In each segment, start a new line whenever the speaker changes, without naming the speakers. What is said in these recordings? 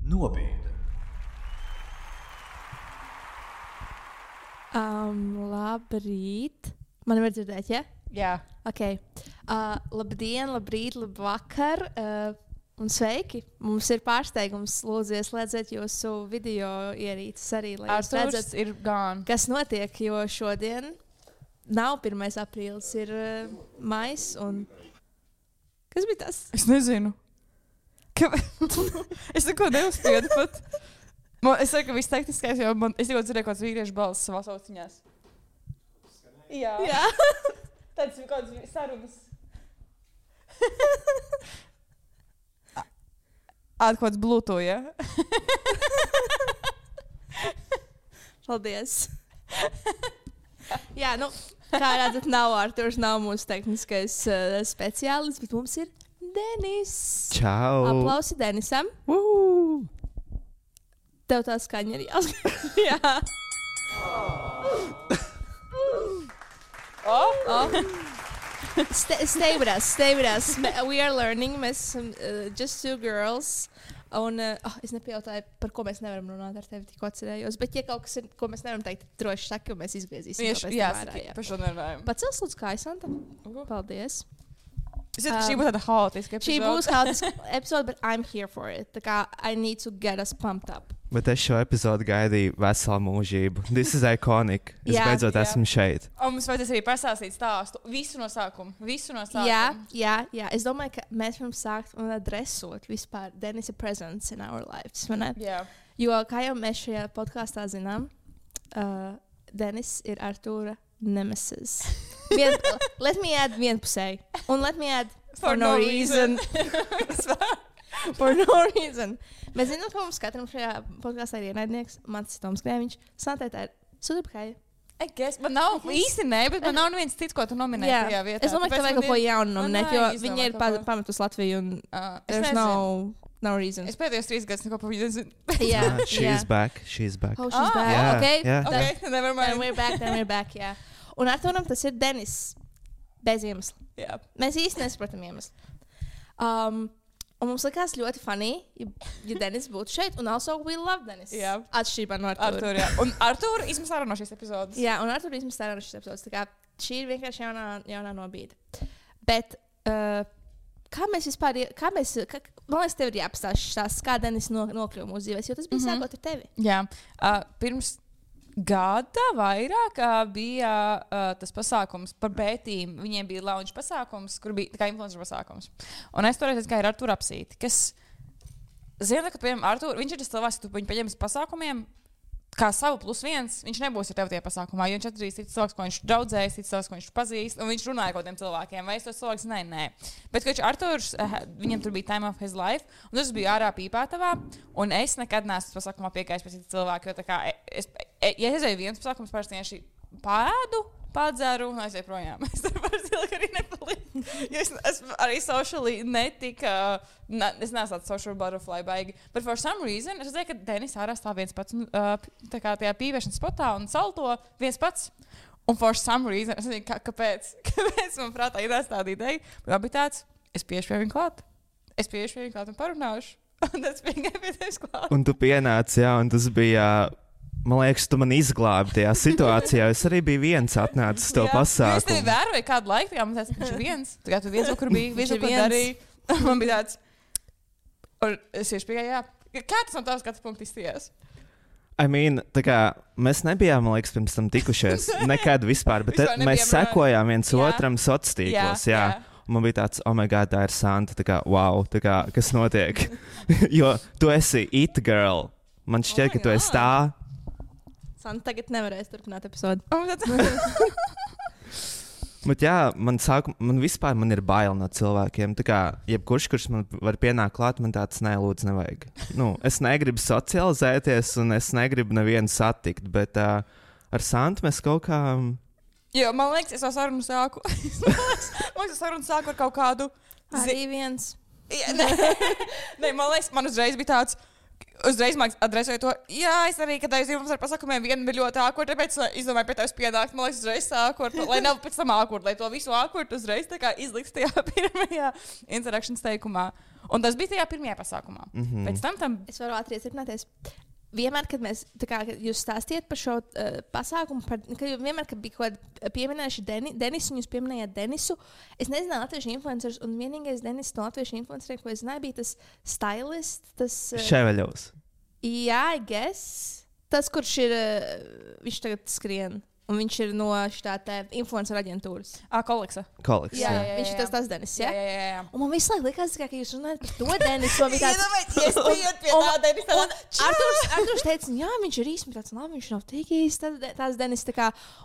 Nobiede.
Labrīt. Man var dzirdēt, ja?
Jā.
Ok. Labdien, labrīt, labvakar. Un sveiki. Mums ir pārsteigums. Lūdzu, ieslēdziet jūsu video ierīces arī, lai jūs redzat,
ir gone.
kas notiek, jo šodien nav 1. aprīlis, ir mais un... Kas bija tas?
Es nezinu. Es neko neuzspiedu pat. Es saku, ka viss tehniskais, jo es tikko dzirdēju kāds vīriešu balss savās austiņās. Jā. Tāds ir kāds sarunas. Kāds Bluetooth, ja?
Paldies. Jā, nu, kā redzat, nav Arturs, nav mūsu tehniskais speciālists, bet mums ir Denis.
Čau!
Aplausi Denisam. Tev tā skaņa ir jāsaka. Jā. Stay with us, stay with us. We are learning. Mēs esam just two girls. Un es nepajautāju, par ko mēs nevaram runāt ar tevi, tikko atcerējos. Bet, ja kaut kas ir, ko mēs nevaram teikt, droši saki, un mēs izgriezīsim.
Jā, par šo nerunājam.
Pacels lūdzu kājas, Anta. Paldies.
Šī būs tāda haotiska epizode.
Šī būs haotiska epizode, but I'm here for it. Tā kā I need to get us pumped up.
Bet es šo epizodu gaidīju veselu mūžību. This is iconic. Es beidzot esmu šeit.
Un mums vajadzēs arī pastāstīt stāstu. Visu no sākuma.
Jā. Es domāju, ka mēs varam sākt un adresot vispār Denisa presence in our lives.
Jā.
Jo, kā jau mēs šajā podkāstā zinām, Denis ir Artūra nemesis. Let me add vienpusēji. Un let me add for no reason. For no reason. Mēs zinām, ka mums katram šajā podkāstā ir ienaidnieks. Mans ir Toms Krēviņš. Santē tā ir Sudurpkaja.
Man nav īsti ne, bet man nav neviens cits, ko tu nominēji tajā vietā.
Es domāju, ka tev vajag kaut ko jaunu nominēt, jo viņi ir pametus Latviju un there's no reason.
Es pēdējos 3 gadus neko par viņu nezinu.
Yeah.
She's back. She's back.
Oh, she's back.
Yeah,
Okay.
yeah.
Okay, never mind.
Then we're back, jā. Un Arturam tas ir Denis. Bez iemesla.
Jā.
Mēs īsti nesapratam iemeslu. Un mums likās ļoti funny, ja Denis būtu šeit. Un also we love Denis.
Jā.
Atšķirībā no Artura.
Jā. Un Artura izmet ārā no šīs epizodes.
Jā, un Artura izmet ārā no šīs epizodes. Tā kā šī ir vienkārši jaunā nobīde. Bet kā mēs vispār, man liekas, tev ir jāpastāst, kā Denis nokļuva mūsu dzīvēs, jo tas bija sākot ar tevi.
Jā. Pirms gada vairāk bija tas pasākums par Bētīm. Viņiem bija launch pasākums, kur bija kā influencer pasākums. Un es toreiz gāju ar Arturu apsīt, kas, zina, ka, piemēram, Arturu, viņš ir tas cilvēks, ka tu viņu paņems pasākumiem, kā savu +1, viņš nebūs ar tevi tie pasākumā, jo viņš atradīs cits cilvēks, ko viņš draudzējas, cits cilvēks, ko viņš pazīst, un viņš runāja kaut tiem cilvēkiem, vai es tos cilvēks, nē. Bet, kad Arturs, viņam tur bija time of his life, un tas bija ārā Pīpātavā, un es nekad neesmu pasākumā piekājis pēc cita cilvēka, jo tā kā, ja es aizēju viens pasākums, parasti vienkārši padzeru un aizēju projām. Es tur parasti ilgi arī nepalīdu, jo es esmu arī socially netika, es neesmu tāds social butterfly baigi. But for some reason, es redzēju, ka Denis ārā stāv viens pats, tā kā tajā pīvēšanas spotā un salto viens pats. Un for some reason, es nezinu, kāpēc man prātā ir tāda ideja, bet bija tāds, es piešu pie viņa klāt un parunāšu. Un tas bija pie tevis klāt.
Un tu pienāci, jā, un tas bija... Man liekas, tu man izglābi tajā situācijā. Es arī biju viens atnācis to pasākumu.
Es tevi vēroju kādu laiku, viņš ir viens. Tā kā tu viens, kur bija, viens, kur darīja. Man bija tāds, un es tieši pieeju, jā. Kā tas no tavas skatu punkta izstījās?
Tā kā mēs nebijām, man liekas, pirms tam tikušies. Nekad vispār, bet mēs sekojām viens otram sociālos tīklos, jā. Un man bija tāds, oh my god, tā ir Santa, tā kā, wow, tā kā, kas notiek? Jo tu esi it girl. Man šķiet, ka tu esi tā.
Santa tagad nevarēs turpināt epizodi.
Bet jā, man vispār ir bail no cilvēkiem. Tā kā jebkurš, kurš man var pienākt klāt, man tāds lūdzu nevajag. Es negribu socializēties un es negribu nevienu satikt, bet ar Santu mēs kaut kā...
Jo, man liekas, es to sarunu sāku. Man liekas, sarunu sāku ar kaut kādu...
Arī viens.
Nē, man liekas, man uzreiz bija tāds... Uzreiz man adresēja to, jā, es arī, kad aizjūtu mums ar pasākumiem, viena bija ļoti ākurt, tāpēc izdomāju pie tevis pienākt, man liekas, uzreiz ākurt, lai nav pēc tam ākurt, lai to visu ākurt uzreiz tā kā izliks tajā pirmajā interakšanas teikumā. Un tas bija tajā pirmajā pasākumā. Pēc tam...
Es varu ātri iecerināties. Vienmēr, kad mēs, kā jūs stāstījāt par šo pasākumu, vienmēr, kad bija kaut kāda pieminējuši Denisu, un jūs pieminējāt Denisu, es nezināju latviešu influencerus, un vienīgais Denis no latviešu influenceriem, ko es zināju, bija tas stylist, tas...
Ševeļovs.
Jā, I guess. Tas, kurš ir, viņš tagad skrien. Un viņš ir no šitā influencer aģentūras.
Koleksa.
Jā, viņš ir tas Denis, jā?
Jā.
Un man visu laiku likās, ka jūs runājat par to Denisu. Man bija tāds...
Es bijot pie tā Denisa.
Arturs teica, jā, viņš ir īsti tāds, labi, viņš nav tik īsti tāds Denis.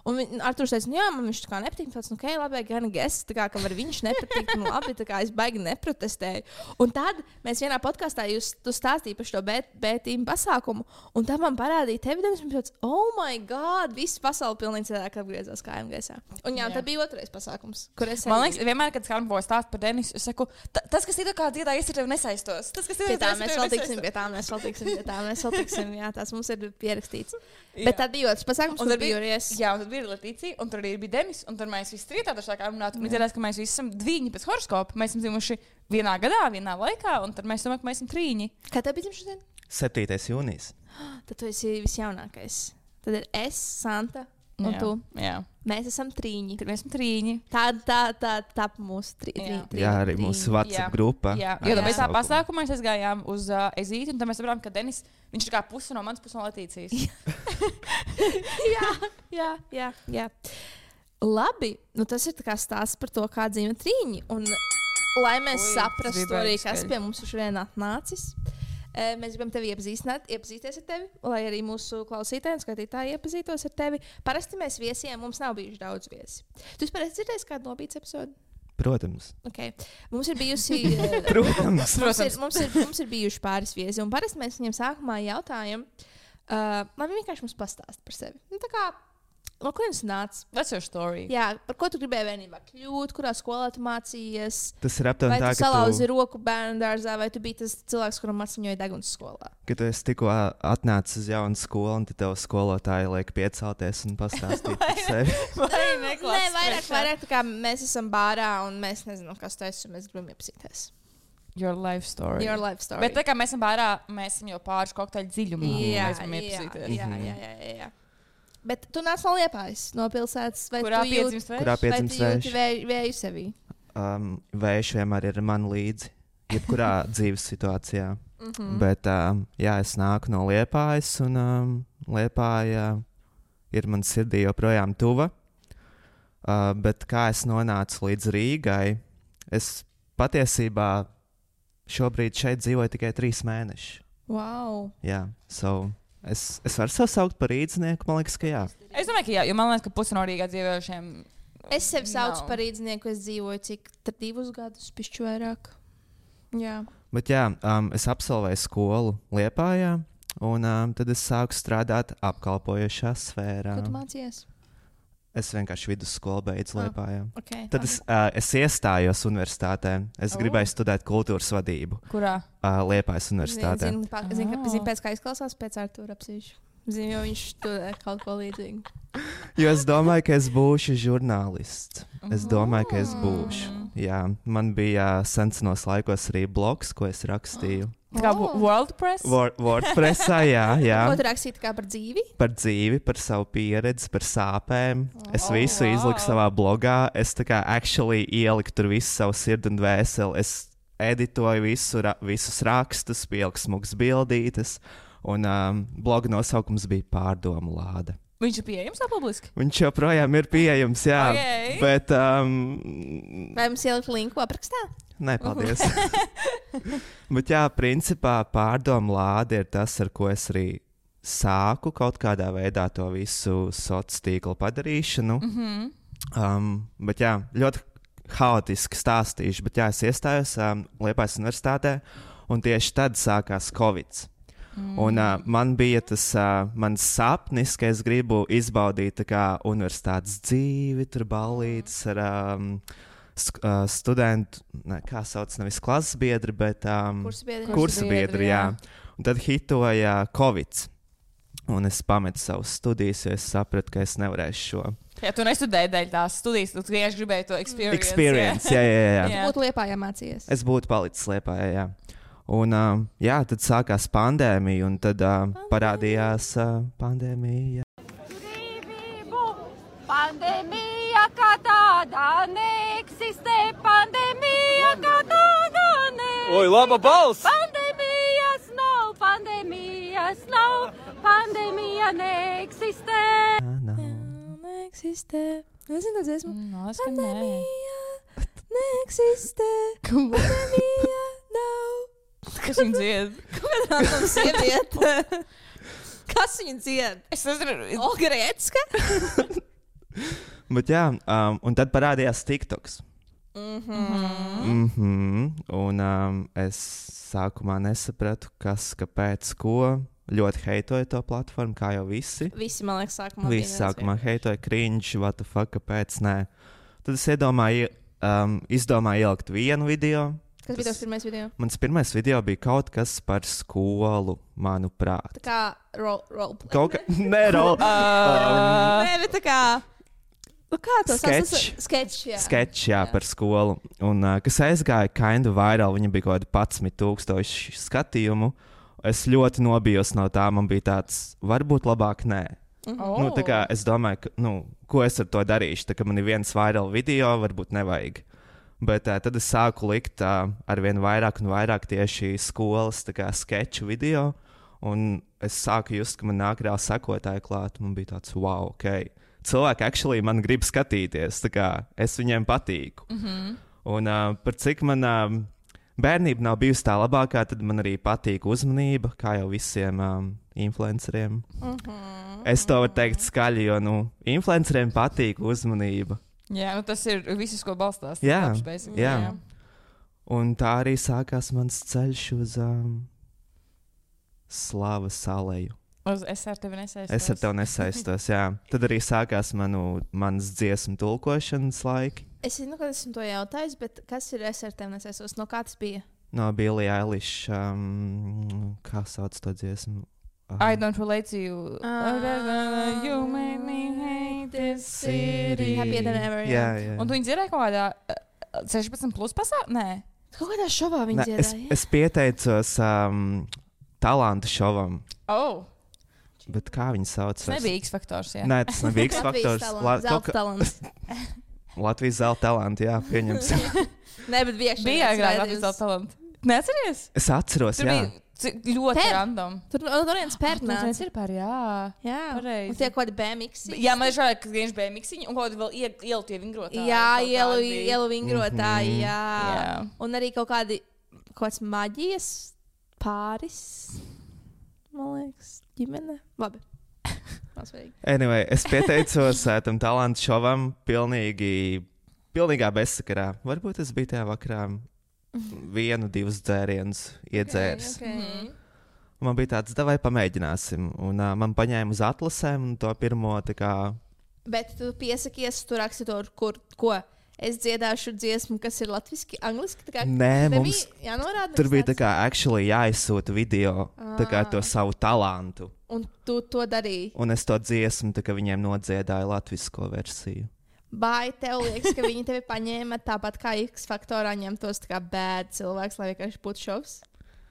Un Arturs teica, jā, man viņš tā kā nepatīk. Tāds, ok, labi, gan guess, tā kā, ka var viņš nepatikt. Un labi, tā kā es baigi neprotestēju. Un tad mēs vienā podkastā tu stāstīji par šo B-team pasākumu. Un tad man parādīja tevi, Denis, un tāds, oh my God, viss pasauli pilnīgi cilvēki apgriezās kājām gaisā. Un jā, tad bija otrais pasākums, kur es...
Man liekas, vienmēr, kad Skarbo stāst par Denisu, es saku, tas, kas ir kā dziedā, es ar tevi nesaistos. Tas, kas ir
pie tā, mēs vēl tiksim, jā, tās mums ir pierakstīts. Bet tad bija otrs pasākums, kur bija Ries.
Jā, un tad bija Letīcija, un tur arī bija Denis, un tur mēs visi trietā sākām runāt, un izrādās, ka mēs visi esam dviņi pēc horoskopa. Mēs esam dzimuši vienā gadā, vienā laikā, un tad mēs domājam, ka mēs esam trīņi.
Kā tev bija dzimšanas diena?
7. jūnijas.
Tad tu esi visjaunākais. Tad ir es, Santa. Un tu?
Jā.
Mēs esam trīņi.
Mēs esam trīņi.
Tā mūsu trīņi.
Jā, arī mūsu WhatsApp grupā.
Jā, jo mēs tā pasākumā aizgājām uz Ezīti, un tad mēs saprām, ka Denis, viņš ir kā puse no manas, puse no Letīcijas.
jā. Labi, nu tas ir tā kā stāsts par to, kā dzīvo trīņi. Un lai mēs saprastu arī, kas pie mums šodien atnācis. Mēs gribam tevi iepazīties ar tevi, lai arī mūsu klausītāji un skatītāji iepazītos ar tevi. Parasti mēs viesiem, mums nav bijuši daudz viesi. Tu vispār esi dzirdējis kādu nobīdes episodu?
Protams.
Okay. Mums ir bijusi...
Protams.
Mums ir bijuši pāris viesi, un parasti mēs viņiem sākumā jautājam, lai viņi vienkārši mums pastāst par sevi. Nu, tā kā... No kurienes nāc?
What's your story?
Jā, par ko tu gribēji vienībā kļūt, kurā skolā tu mācījies?
Tas ir aptuveni tā, ka
tu salauzi roku bērnu dārzā, vai tu biji tas cilvēks, kuram atsaņoja deguns skolā?
Ka tu esi tikko atnācis uz jaunu skolu, un tev skolotāji liek piecelties un pastāstīt par sevi.
Nē, vairāk tā kā mēs esam bārā, un mēs nezinām, kas tu esi, un mēs gribam iepazīties.
Your life story. Bet tā kā mēs esam bārā, mēs esam jau pāris kokteļu dziļumā. Mēs gribam iepazīties.
Jā. Bet tu nāc no Liepājas, no pilsētas, vai
kurā piedzimst vējš?
Kurā piedzimst vējš?
Vēju sevī?
Vējš vienmēr ir man līdzi, jebkurā dzīves situācijā. Bet, jā, es nāku no Liepājas, un Liepāja ir man sirdī joprojām tuva. Bet kā es nonācu līdz Rīgai, es patiesībā šobrīd šeit dzīvoju tikai 3 mēnešus.
Wow!
Jā, Es varu sev saukt par rīdznieku, man liekas, ka jā.
Es domāju, ka jā, jo man liekas, ka pusi no Rīgā dzīvojušiem...
Es sevi saucu par rīdznieku, es dzīvoju cik 2 gadus, pišķi vairāk. Jā.
Bet jā, es absolvēju skolu Liepājā, un tad es sāku strādāt apkalpojošā sfērā.
Ko tu mācījies?
Es vienkārši vidusskolu beidzu Liepājā.
Okay.
Tad es iestājos universitātē. Es gribēju studēt kultūras vadību.
Kurā?
Liepājas universitātē.
Zinu, pēc kā izklausās pēc Artūra apsīšu. Zinu, jo viņš studē kaut ko līdzīgu.
Jo es domāju, ka es būšu žurnālists. Es domāju, ka es būšu. Jā, man bija senos laikos arī blogs, ko es rakstīju.
Kā WordPress?
WordPressā, jā.
Ko tu rakstīji kā par dzīvi?
Par dzīvi, par savu pieredzi, par sāpēm. Es visu izliku savā blogā. Es tā kā actually ieliku tur visu savu sirdi un dvēseli. Es editoju visus rakstus, pieliku smugas bildītes. Un bloga nosaukums bija Pārdomu lāde.
Viņš ir pieejams publiski?
Viņš joprojām ir pieejams, jā.
Okay.
Bet,
vai mums ielikt linku aprakstā?
Nē, paldies. Bet jā, principā Pārdomu lāde ir tas, ar ko es arī sāku kaut kādā veidā to visu sociālo tīklu padarīšanu. Bet jā, ļoti haotiski stāstīšu. Bet jā, es iestājos Liepājas universitātē, un tieši tad sākās Covid. Un man bija tas mans sapnis, ka es gribu izbaudīt tā kā universitātes dzīvi, tur ballītes ar studentu, kā sauc, nevis klases biedri, bet kursa biedri, jā. Un tad hitoja Covid. Un es pametu savus studijas, jo es sapratu, ka es nevarēšu šo.
Ja tu nestudēji dēļ tās studijas, tu vienkārši gribēji to
experience. Jā.
Tu būtu Liepājā mācījies.
Es būtu palicis Liepājā, jā. Un tad sākās pandēmija, un tad parādījās pandēmija.
Pandēmija kā tāda neeksistē, pandēmija kā tāda neeksistē.
Oi, laba balss!
Pandēmijas nav, pandēmija neeksistē.
Neeksistē. Nezinu, tas esmu.
Pandēmija
neeksistē. Pandēmija nav.
Kas viņa dzied?
Kāda sieviete? Kas viņa dzied?
Es nezinu.
Olga Riecka?
Bet jā, un tad parādījās TikToks. Un es sākumā nesapratu, kas, kāpēc, ko. Ļoti heitoja to platformu, kā jau visi.
Visi, man liekas, sākumā.
Visi sākumā heitoja cringe, what the fuck, kāpēc nē. Tad es izdomāju ielikt vienu video.
Kas bija tavs pirmais video?
Mans pirmais video bija kaut kas par skolu, manuprāt.
Tā kā roleplay.
Kaut kā, nē,
Nē, bet tā kā... Kā to
sketch, jā, par skolu. Un, kas aizgāja kinda viral, viņa bija kaut kādi 11,000 skatījumu. Es ļoti nobijos no tā, man bija tāds, varbūt labāk nē. Nu, tā kā es domāju, ka, ko es ar to darīšu, tā kā man ir viens viral video, varbūt nevajag. Bet tad es sāku likt arvien vairāk un vairāk tieši skolas sketču video, un es sāku just, ka man nāk reāli sekotāji klāt, man bija tāds, wow, ok. Cilvēki actually man grib skatīties, tā kā es viņiem patīku. Un par cik man bērnība nav bijusi tā labākā, tad man arī patīk uzmanība, kā jau visiem influenceriem. Es to varu teikt skaļi, jo influenceriem patīk uzmanība.
Jā, tas ir viss, ko balstās.
Jā.
Jā.
Un tā arī sākās mans ceļš uz slavas aleju.
Es ar tevi nesaistos.
Es ar tevi nesaistos, jā. Tad arī sākās manas dziesmu tulkošanas laiki.
Es zinu, ka esmu to jautājis, bet kas ir es ar tevi nesaistos? No kā tas bija?
No Billie Eilish, kā sauc to dziesmu?
I don't relate to you. You made me hate this city.
Happier than ever.
Jā.
Un tu viņi dzirdēja kaut kādā 16 plus pasākumā? Nē.
Kaut kādā šovā viņi dzirdēja.
Es pieteicos talantu šovam. Bet kā viņi sauc?
Tas nebija X-faktors, jā.
Nē, tas nebija X-faktors.
Zelta talants.
Latvijas zelta talanti, jā, pieņemsim.
Nē, bet
bija agrāk Latvijas zelta talanti. Neatceries?
Es atceros,
tur
jā.
Bija ļoti random.
Tur viens pērnāts.
Tas ir par, jā.
Un tie kaut kādi BMX.
Jā, man ir žēl, ka viņš BMX un kaut kādi vēl ielu tie vingrotāji.
Jā, ielu vingrotāji, jā. Un arī kaut kāds maģijas pāris, man liekas, ģimene. Labi.
Anyway, es pieteicos tam talantu šovam pilnīgā bezsakarā. Varbūt es biju tajā vakarā 1-2 dzērienus iedzēris.
Okay.
Man bija tāds, davai pamēģināsim. Un man paņēma uz atlasēm un to pirmo tā kā...
Bet tu piesakies, tu raksti to, ko? Es dziedāšu dziesmu, kas ir latviski, angliski?
Nē, mums
jānorāda.
Tur bija tā kā actually jāizsūta video, tā kā to savu talantu.
Un tu to darīji?
Un es to dziesmu, tā kā viņiem nodziedāju latvisko versiju.
Vai tev liekas, ka viņi tevi paņēma tāpat kā X-faktorā ņemtos tā kā bad cilvēks, lai vienkārši būtu šovs?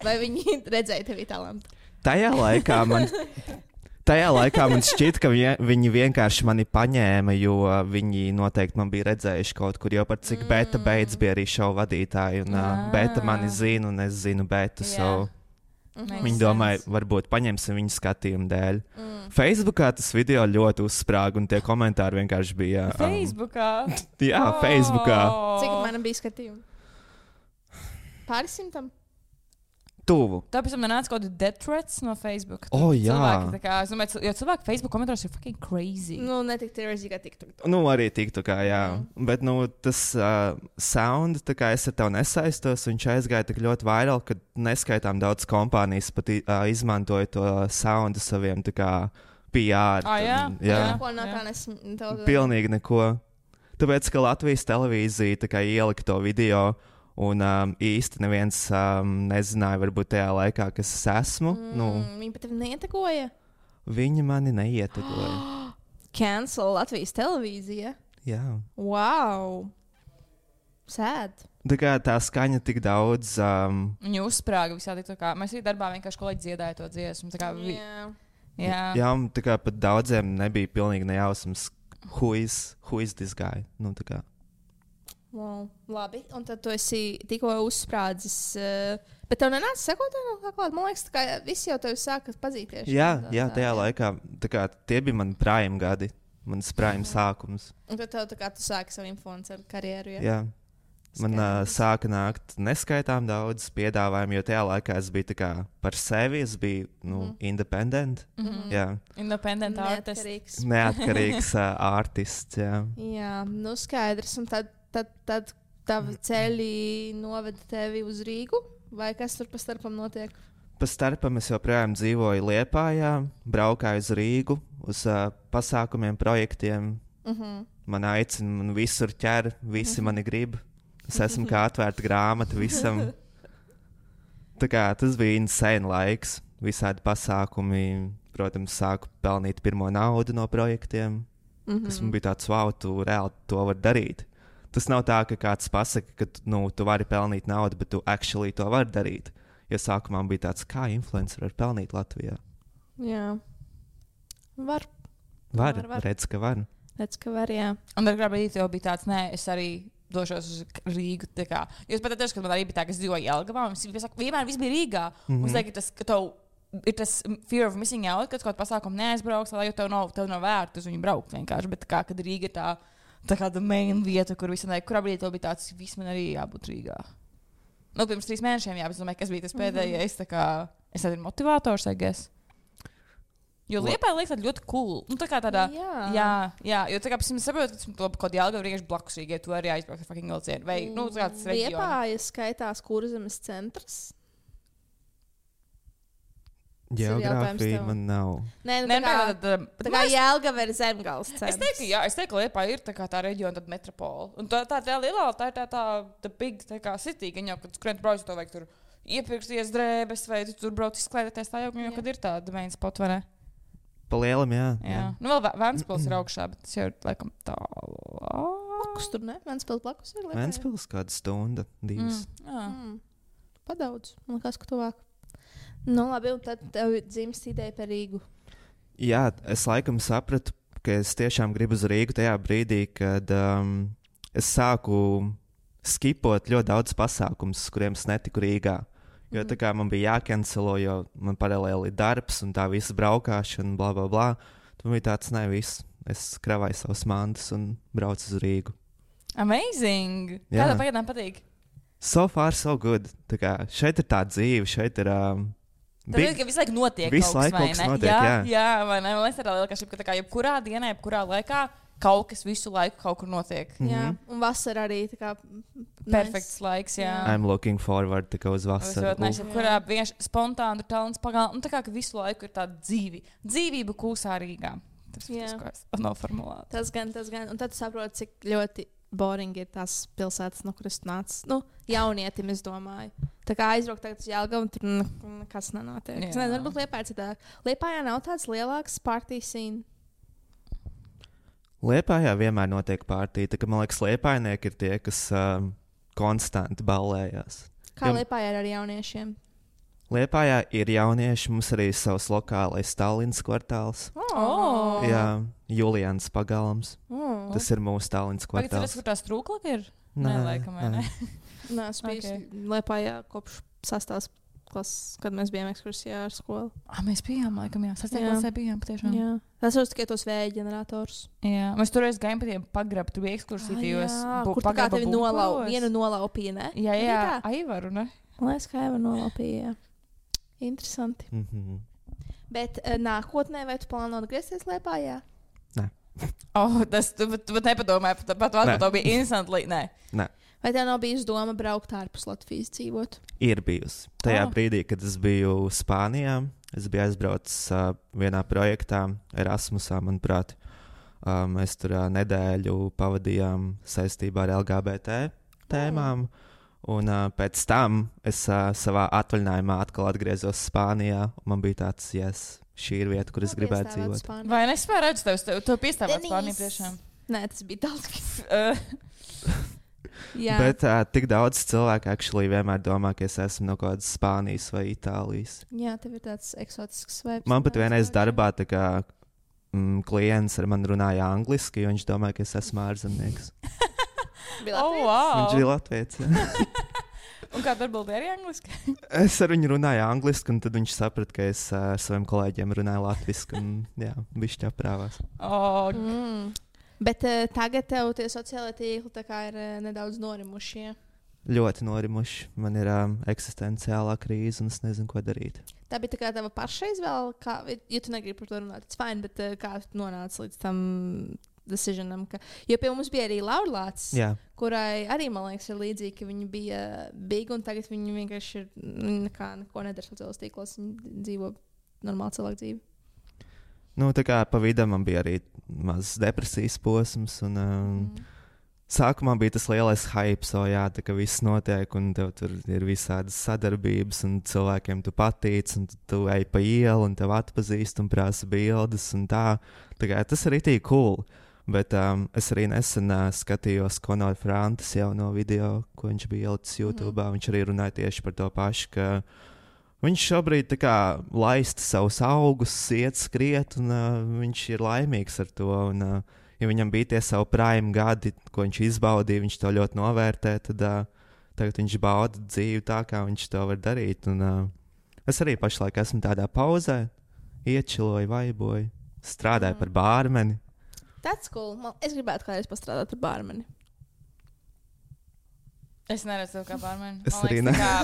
Vai viņi redzēja tevi talantu?
Tajā laikā man šķiet, ka viņi vienkārši mani paņēma, jo viņi noteikti man bija redzējuši kaut kur, jo par cik beta beidz bija arī šovu vadītāji, un beta mani zina, un es zinu betu, viņi domāja, varbūt paņemsim viņu skatījumu dēļ. Facebookā tas video ļoti uzsprāga, un tie komentāri vienkārši bija...
Facebookā?
Jā, Facebookā.
Cik man bija skatījumi? Pāris simtam?
Tuvu.
Tāpēc man nāca kaut kādi death threats no Facebook.
Jā.
Es domāju, jo cilvēki Facebook komentāros ir fucking crazy.
Ne tik crazy kā TikTok.
Arī TikTokā, jā. Bet tas sound, tā kā es ar tevi nesaistos, viņš aizgāja tik ļoti viral, ka neskaitām daudz kompānijas pat izmantoja to soundu saviem tā kā PR.
Jā. Ko no tā nesmu?
Pilnīgi neko. Tāpēc, ka Latvijas televīzija tā kā ielika to video, un īsti neviens nezināja, varbūt tajā laikā, kas es esmu.
Viņi pat tevi neietekoja?
Viņi mani neietegoja.
Cancel Latvijas televīzija.
Jā.
Wow! Sēd.
Tā kā tā skaņa tik daudz.
Viņa uzsprāga visādi. Mēs arī darbā vienkārši kolēģi dziedāja to dziesmu.
Jā, tā kā pat daudziem nebija pilnīgi nejausmas, who is this guy. Nu, tā kā.
Wow. Labi, un tad tu esi tikko uzsprādzis. Bet tev nenāca sekotājiem kā klāt? Man liekas, ka visi jau tevi sāka pazīties.
Jā, tajā laikā. Tā kā tie bija mani prime gadi. Mans prime sākums.
Un tad tev tu sāki savu influenceru karjeru.
Jā. Man sāka nākt neskaitām daudz piedāvājumu, jo tajā laikā es biju tā kā par sevi, es biju independent. Jā.
Independent artists.
Neatkarīgs artists, jā.
Jā, nu skaidrs. Un tad tavi ceļi noveda tevi uz Rīgu? Vai kas tur pa starpam notiek?
Pa starpam es joprojām dzīvoju Liepājā, braukāju uz Rīgu, uz pasākumiem, projektiem. Man aicina, man visur ķer, visi mani grib. Es esmu kā atvērta grāmata visam. Tā kā tas bija insane laiks. Visādi pasākumi, protams, sāku pelnīt pirmo naudu no projektiem. Kas man bija tāds, wow, tu reāli to vari darīt. Tas nav tā, ka kāds pasaka, ka tu vari pelnīt naudu, bet tu actually to vari darīt. Jo sākumā bija tāds, kā influencer var pelnīt Latvijā.
Jā. Var.
Redz, ka var.
Redz, ka var, jā.
Un tad gribēju, jau bija tāds, nē, es arī došos uz Rīgu. Jūs pat teicat, ka man arī bija tā, ka es dzīvoju Jelgavā, un vienmēr viss bija Rīgā. Un es teiktu, ka tev ir tas fear of missing out, kad kaut kādu pasākumu neaizbrauks, jo tev nav vērts uz viņu braukt vienkārši. Bet kad Rīga ir tā kā main vieta, kur visam nē, kurā brīdī tev bija tāds, viss man arī jābūt Rīgā. Nu, pirms 3 mēnešiem, jā, bet es domāju, kas bija tas pēdējais, es esmu motivators, I guess. Jo Liepāja liekas ļoti cool. Nu, tā kā tādā. Jā. Jo tā kā es saprotu, ka kaut kādā Jelgavā vienkārši blakus Rīgai tu arī aizbraukt ar fucking vilcienu. Vai, nu, tāds reģions.
Liepāja skaitās Kurzemes centrs.
Geogrāfija man nav.
Nē, tā kā Jelgava ir Zemgales centrs.
Es teiktu, ka Liepāja ir tā reģiona, tad metropola. Un tā lielā, tā ir tā big, tā kā city, ka jau, kad skrien brauc, to vajag tur iepirksties drēbes, vai tu tur brauc izklaidēties, tā jau, kad ir tāda main spot, vai ne?
Pa lielam, jā.
Nu, vēl Ventspils ir augšā, bet tas jau ir laikam tālāk.
Blakus tur, ne? Ventspils blakus ir Liepāja.
Ventspils kāda stunda, 2.
Padaudz, man liekas, ka tuvāk. Nu, labi, un tad tev dzimst ideja par Rīgu.
Jā, es laikam sapratu, ka es tiešām gribu uz Rīgu tajā brīdī, kad es sāku skipot ļoti daudz pasākumus, kuriem es netiku Rīgā. Jo tā kā man bija jākancelo, jo man paralēli ir darbs un tā visa braukšana, bla, bla, bla. Tad bija tāds, ne, viss. Es kravāju savus mantas un braucu uz Rīgu.
Amazing! Kā tev pagaidām patīk?
So far, so good. Tā kā šeit ir tā dzīve, šeit ir...
Tad ir, ka visu laiku notiek
visu
kaut
laiku
kas, vai ne? Jā, vai ne? Man liekas, tā ir lielākā šķipa, ka tā kā jebkurā dienā, jebkurā laikā kaut kas visu laiku kaut kur notiek.
Jā, un vasara arī tā kā...
Perfekts laiks, jā.
I'm looking forward to go uz vasaru.
Kurā vienkārši spontāni ir talants pagāl. Un tā kā visu laiku ir tāda dzīvība kūsā Rīgā. Tas ir tas, ko es noformulēju.
Tas gan. Un tad tu saproti, cik ļoti boring ir tās pilsētas, no kuras nāc. Nu, jaunietim, es domāju. Tā kā aizbraukt tagad uz Jelgavu, un tur nekas nenotiek. Es nezinu, varbūt Liepājā citāk. Liepājā nav tāds lielāks party scene.
Liepājā vienmēr notiek partija. Man liekas, liepājnieki ir tie, kas konstanti ballējās.
Kā Liepājā ir ar jauniešiem?
Liepājā ir jaunieši, mums arī savs lokālais Tallinas kvartāls.
Oh.
Jā, Julians pagalms. Tas ir mūsu Tallinas kvartāls.
Vai tas ir, kur tā strūklaka ir? Nē, laikam, vai ne?
Nē, es biju Liepājā kopš 6. klases, kad mēs bijām ekskursijā ar skolu.
Mēs bijām, laikam, jā. 6. klasē bijām, patiešām.
Jā. Tas ir tikai tos vēja ģenerators.
Jā, mēs toreiz gājām pa tiem pagrabu, tur bija ekskursija,
kur tā kā tevi vienu nolaupīja, ne?
Jā, Aivaru, ne?
Man liekas, ka Aivaru nolaupīja, jā. Interesanti. Bet nākotnē vai tu plāno atgriezties Liepājā?
Nē.
Tas tu nepadomāji, pat to bija instantly, nē.
Vai tev nav bijusi doma braukt ārpus Latvijas dzīvot?
Ir bijusi. Tajā brīdī, kad es biju Spānijā, es biju aizbraucis vienā projektā Erasmusā, manuprāt. Mēs tur nedēļu pavadījām saistībā ar LGBT tēmām. Un pēc tam es savā atvaļinājumā atkal atgriezos Spānijā. Man bija tāds, yes, šī ir vieta, kur es gribētu dzīvot.
Vai nespēju redzēt tev piestāvēt Spāniju priekšām?
Nē, tas bija daudz.
Bet tik daudz cilvēku actually vienmēr domā, ka es esmu no kaut kādas Spānijas vai Itālijas.
Jā, tev ir tāds eksotisks vibes.
Man pat vienreiz darbā tā kā klients ar mani runāja angliski, jo viņš domāja, ka es esmu ārzemnieks. Viņš bija Latvijas.
Un kā tu atbildēji arī angliski?
Es ar viņu runāju angliski, un tad viņš saprata, ka es ar saviem kolēģiem runāju latviski, un jā, bišķi aprāvās.
Bet tagad tev tie sociālai tīkli tā kā ir nedaudz norimuši, ja?
Ļoti norimuši. Man ir eksistenciālā krīze, un es nezinu, ko darīt.
Tā bija tā kā tava paša izvēle, ja tu negribi par to runāt, tas fine, bet kā tu nonāci līdz tam decisionam, jo pie mums bija arī Laurlāts, kurai arī, man liekas, ir līdzīgi, ka viņa bija big, un tagad viņa vienkārši ir neko nedara sociālos tīklos, viņa dzīvo normālu cilvēku dzīvi.
Nu, tā kā pa vidu man bija arī mazs depresijas posms, un sākumā bija tas lielais hype, tā kā viss notiek, un tev tur ir visādas sadarbības, un cilvēkiem tu patīc, un tu ej pa ielu, un tev atpazīst, un prasa bildes, un tā kā tas ir itī cool. Bet es arī nesen skatījos Konor Frantas jauno video, ko viņš bija ielicis YouTube. Viņš arī runāja tieši par to pašu, ka viņš šobrīd tā kā laista savus augus, iet skriet, un viņš ir laimīgs ar to. Un, ja viņam bija tie savu prime gadi, ko viņš izbaudīja, viņš to ļoti novērtē, tad tagad viņš bauda dzīvi tā, kā viņš to var darīt. Un, es arī pašlaik esmu tādā pauzē, iečiloju, vaiboju, strādāju par bārmeni.
That's cool. Es gribētu kādreiz pastrādāt par bārmeni.
Es neredzu tev kā bārmeni.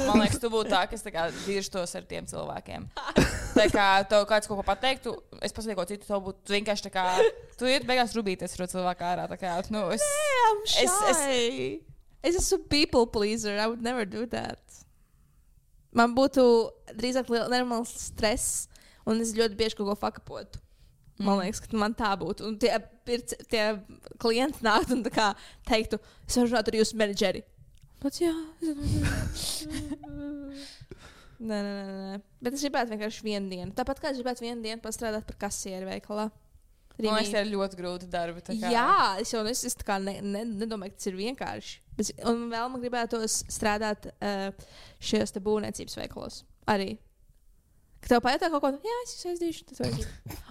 Man
liekas, tu būtu tā, kas dirstos ar tiem cilvēkiem. Tā kā tev kāds kaut ko pateiktu, es pasaku ko citu, tev būtu vienkārši tā kā, tu iet beigās rubīties ar cilvēku ārā. Tā kā, nu,
I'm shy. Es esmu people pleaser. I would never do that. Man būtu drīzāk nenormāls stress, un es ļoti bieži kaut ko fakapotu. Man liekas, ka man tā būtu. Un tie klienti nāktu un teiktu, es varu runāt ar jūsu menedžeri. Bet jā. Nē. Bet es gribētu vienkārši vienu dienu. Tāpat kā es gribētu vienu dienu pastrādāt par kasieri veikalā.
Man liekas, tas ir ļoti grūti darbi.
Jā, es jau nedomāju, ka tas ir vienkārši. Un vēl man gribētos strādāt šajos te būvniecības veikalos arī. Ka tev pajautā kaut ko, jā, es jūs aizdīšu.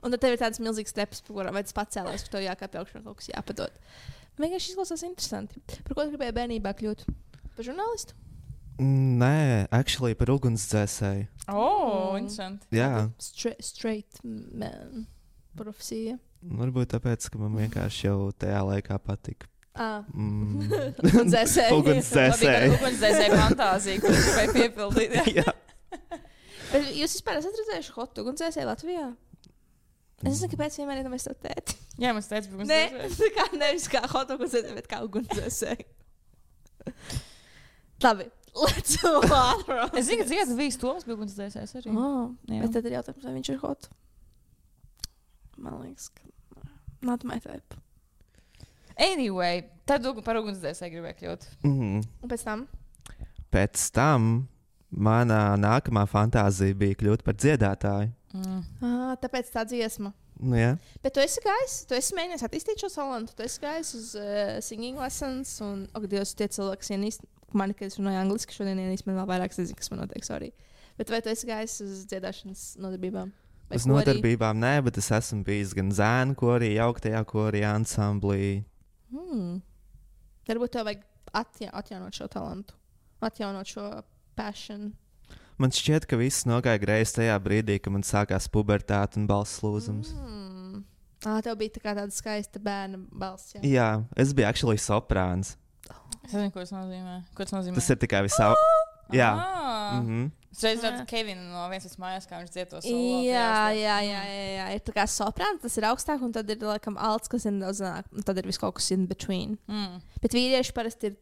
Un tad tev ir tādas milzīgas stepas, vai tas pacēlās, ka tev jākāpj augšā kaut kas jāpadod. Vienkārši izklausās interesanti. Par ko tu gribēji bērnībā kļūt? Par žurnālistu?
Nē, actually par ugunsdzēsēju.
Interesanti.
Jā.
Straight man profesija.
Varbūt tāpēc, ka man vienkārši jau tajā laikā patika.
Ugunsdzēsēju.
Ugunsdzēsēju fantāzija, ko tu gribēji piepildīt.
Jā.
Bet jūs vispār esat redzējuši hot ugunsdzēsēju Latvijā? Es nezinu, kāpēc vienmēr ir mēs to tēti.
Jā, mēs tēti bija ugunsdzēsēju.
Nē, nevis kā hot ugunsdzēsēju, bet kā ugunsdzēsēju. Labi, let's move on.
Es zinu, ka dziesmas bija Toms bija ugunsdzēsējs arī.
Bet tad ir jautājums, vai viņš ir hot. Man liekas, ka not my type.
Anyway, tad par ugunsdzēsēju gribēju kļūt.
Un
pēc
tam mana nākamā fantāzija bija kļūt par dziedātāju.
Tāpēc tā dziesma.
Nu, jā.
Bet tu esi gājis, tu esi mēģinājis attīstīt šo talantu, tu esi gājis uz singing lessons, un, Dievs, tie cilvēki, kas ienīst mani, kad es runāju angliski, šodien ienīst man vēl vairāk, es nezinu, kas man notiek, sorry. Bet vai tu esi gājis uz dziedāšanas nodarbībām?
Uz nodarbībām nē, bet es esmu bijis gan zēnu korī, jauktajā korī, ansamblī.
Varbūt tev vajag atjaunot šo talantu, atjaunot šo passion.
Man šķiet, ka viss nogāja greizi tajā brīdī, kad man sākās pubertāte un balss lūzums.
Tev bija tāda skaista bērna balss.
Jā, es biju actually soprāns.
Es nezinu, ko tas nozīmē.
Tas ir tikai visā. Jā.
Es reiz redzu Kevinu no vienas mājās, kā viņš dzied to solo.
Jā. Ir tā kā soprāns, tas ir augstāk, un tad ir laikam alts, kas ir nedaudz zanāk, un tad ir viss kaut kas in between. Bet vīrieši parasti ir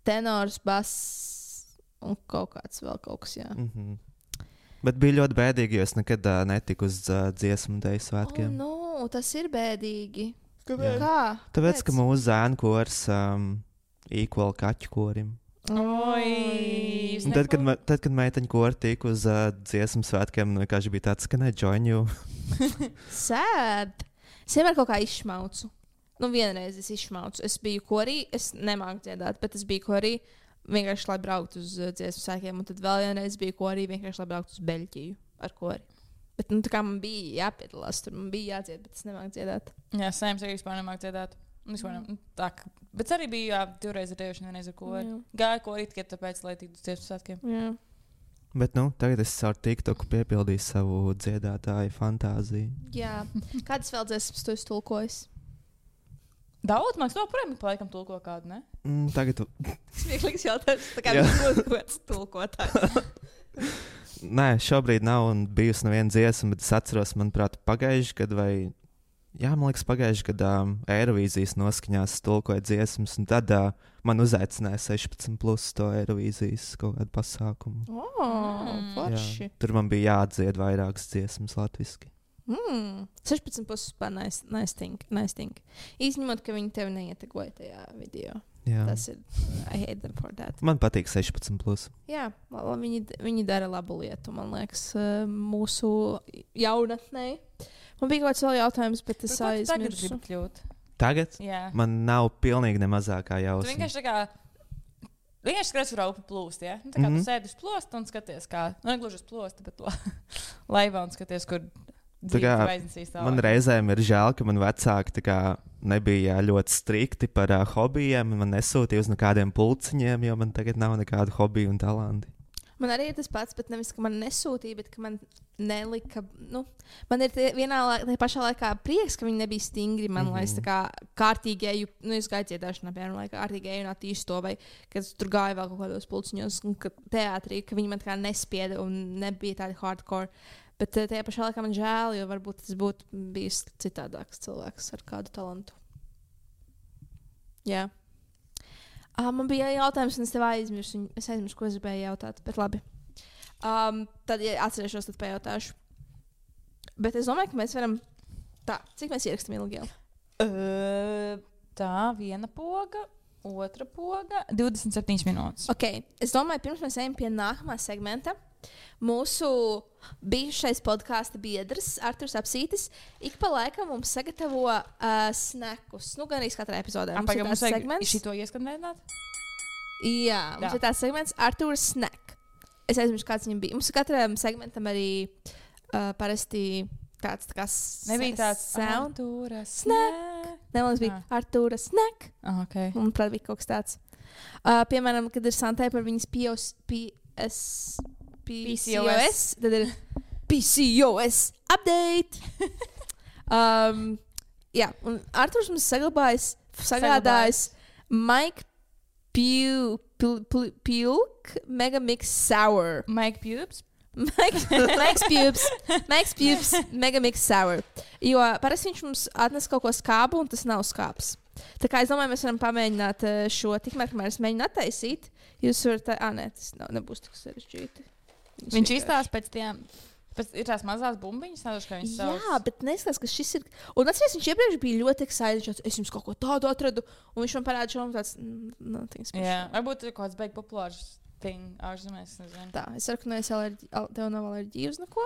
tenors, bass un kaut kāds vēl kaut kas, jā.
Bet bija ļoti bēdīgi, jo es nekad netiku uz dziesmu deju svētkiem.
Tas ir bēdīgi.
Kāpēc? Tāpēc, ka mūsu zēnu kors equal kaķu korim.
Oi!
Tad, kad meiteņa kori tika uz dziesmu svētkiem, vienkārši bija tāds, ka join you.
Sad. Es vienmēr kaut kā izšmaucu. Vienreiz es izšmaucu. Es biju korī, es nemāku dziedāt, bet es biju korī vienkārši, lai brauktu uz dziesmu svētkiem. Un tad vēl vienreiz biju korī vienkārši, lai brauktu uz Beļģiju ar kori. Bet tā kā man bija jāpiedalās tur, man bija jādzied, bet es nemāku dziedāt.
Jā, Sēms arī vispār nemāku dziedāt. Bet arī bija divreiz ar tevi, vienreiz ar kori. Gāja korī tikai tāpēc, lai tiktu uz dziesmu svētkiem.
Jā.
Bet tagad es caur TikToku piepildīju savu dziedātāju fantāziju.
Jā. Kādas vēl dziesmas tu esi tulkojis?
Daudz, man liekas, projām pa laikam tulko kādu, ne?
Tagad...
Smieklīgs jautājums, tā kā būs gods tulkotājs.
Nē, šobrīd nav un bijusi neviena dziesma, bet es atceros, manuprāt, pagājuši gadu vai... Jā, man liekas, pagājuši gadā Eirovīzijas noskaņās tulkoja dziesmas, un tad man uzaicināja 16+ to Eirovīzijas kaut kādu pasākumu.
Forši.
Tur man bija jāatdzied vairākas dziesmas latviski.
16+ vispār nice thing. Izņemot, ka viņi tevi neietegoja tajā video.
Jā.
Tas ir, I hate them for that.
Man patīk 16+.
Jā, viņi dara labu lietu, man liekas, mūsu jaunatnē. Man bija kaut kāds vēl jautājums, bet es aizmirsu.
Tagad?
Jā.
Man nav pilnīgi ne mazākā jausma.
Tu vienkārši skaties, kur upe plūst, ja? Tā kā tu sēdi uz plosta un skaties, kā, negluži uz plosta, bet laivā un skaties, kur dzīvi aiznesīs tālāk.
Man reizēm ir žēl, ka man vecāki nebija ļoti strikti par hobijiem, man nesūtīja uz nekādiem pulciņiem, jo man tagad nav nekādu hobiju un talanti.
Man arī ir tas pats, bet nevis, ka man nesūtīja, bet ka man nelika. Man ir vienā pašā laikā prieks, ka viņi nebija stingri. Man liekas, tā kā kārtīgi eju, es gāju dziedāšanā, piemēram, lai kārtīgi eju un attīstu to, vai kad tur gāju vēl kaut kādos pulciņos, un teātrī, ka viņi man tā kā nespieda un nebija tādi hardcore. Bet tajā pašā laikā man žēl, jo varbūt tas būtu bijis citādāks cilvēks ar kādu talantu. Jā. Man bija jautājums, un es tev aizmirsu. Es aizmirsu, ko es gribēju jautāt, bet labi. Tad, ja atcerēšos, tad pajautāšu. Bet es domāju, ka mēs varam... Tā, cik mēs ierakstām ilgi jau?
Tā, viena poga, otra poga, 27 minūtes.
Ok, es domāju, pirms mēs ejam pie nākamā segmenta. Mūsu bijušais podkāsta biedrs, Arturs Apsītis, ik pa laikam mums sagatavo snakus. Gan arī katrā epizodē. Mums ir tāds segments.
Šito ieskandināt?
Jā, mums ir tāds segments Arturs Snack. Es aizmirsu, kāds viņam bija. Mums katram segmentam arī parasti kāds tā kā
nebija tāds Artura Snack.
Ne, mums bija Artura Snack.
Okay.
Un, prāt, bija kaut kas tāds. Piemēram, kad ir Santai par viņas PCOS, tad ir PCOS update. Jā, un Arturs mums sagādājis Mike Pulk Megamix Sour.
Mike Pubes?
Mike's Pubes Megamix Sour. Jo parasti viņš mums atnes kaut ko skābu, un tas nav skābs. Tā kā es domāju, mēs varam pamēģināt šo, tikmēr, kamēr es mēģinu attaisīt. Jūs varat, nē, tas nebūs tik sarežģīti.
Viņš izstāsta pēc tiem, ir tās mazās bumbiņas, nedaudz, kā viņas sauc.
Jā, bet neskatās, ka šis ir, un atceries, viņš iepriekš bija ļoti excited, es jums kaut ko tādu atradu, un viņš man parāda šo, un tāds, nothing special.
Jā, varbūt ir kaut kāds beig populārs thing, ārzemēs, nezinu.
Tā, es saku, ka tev nav alerģija uz neko.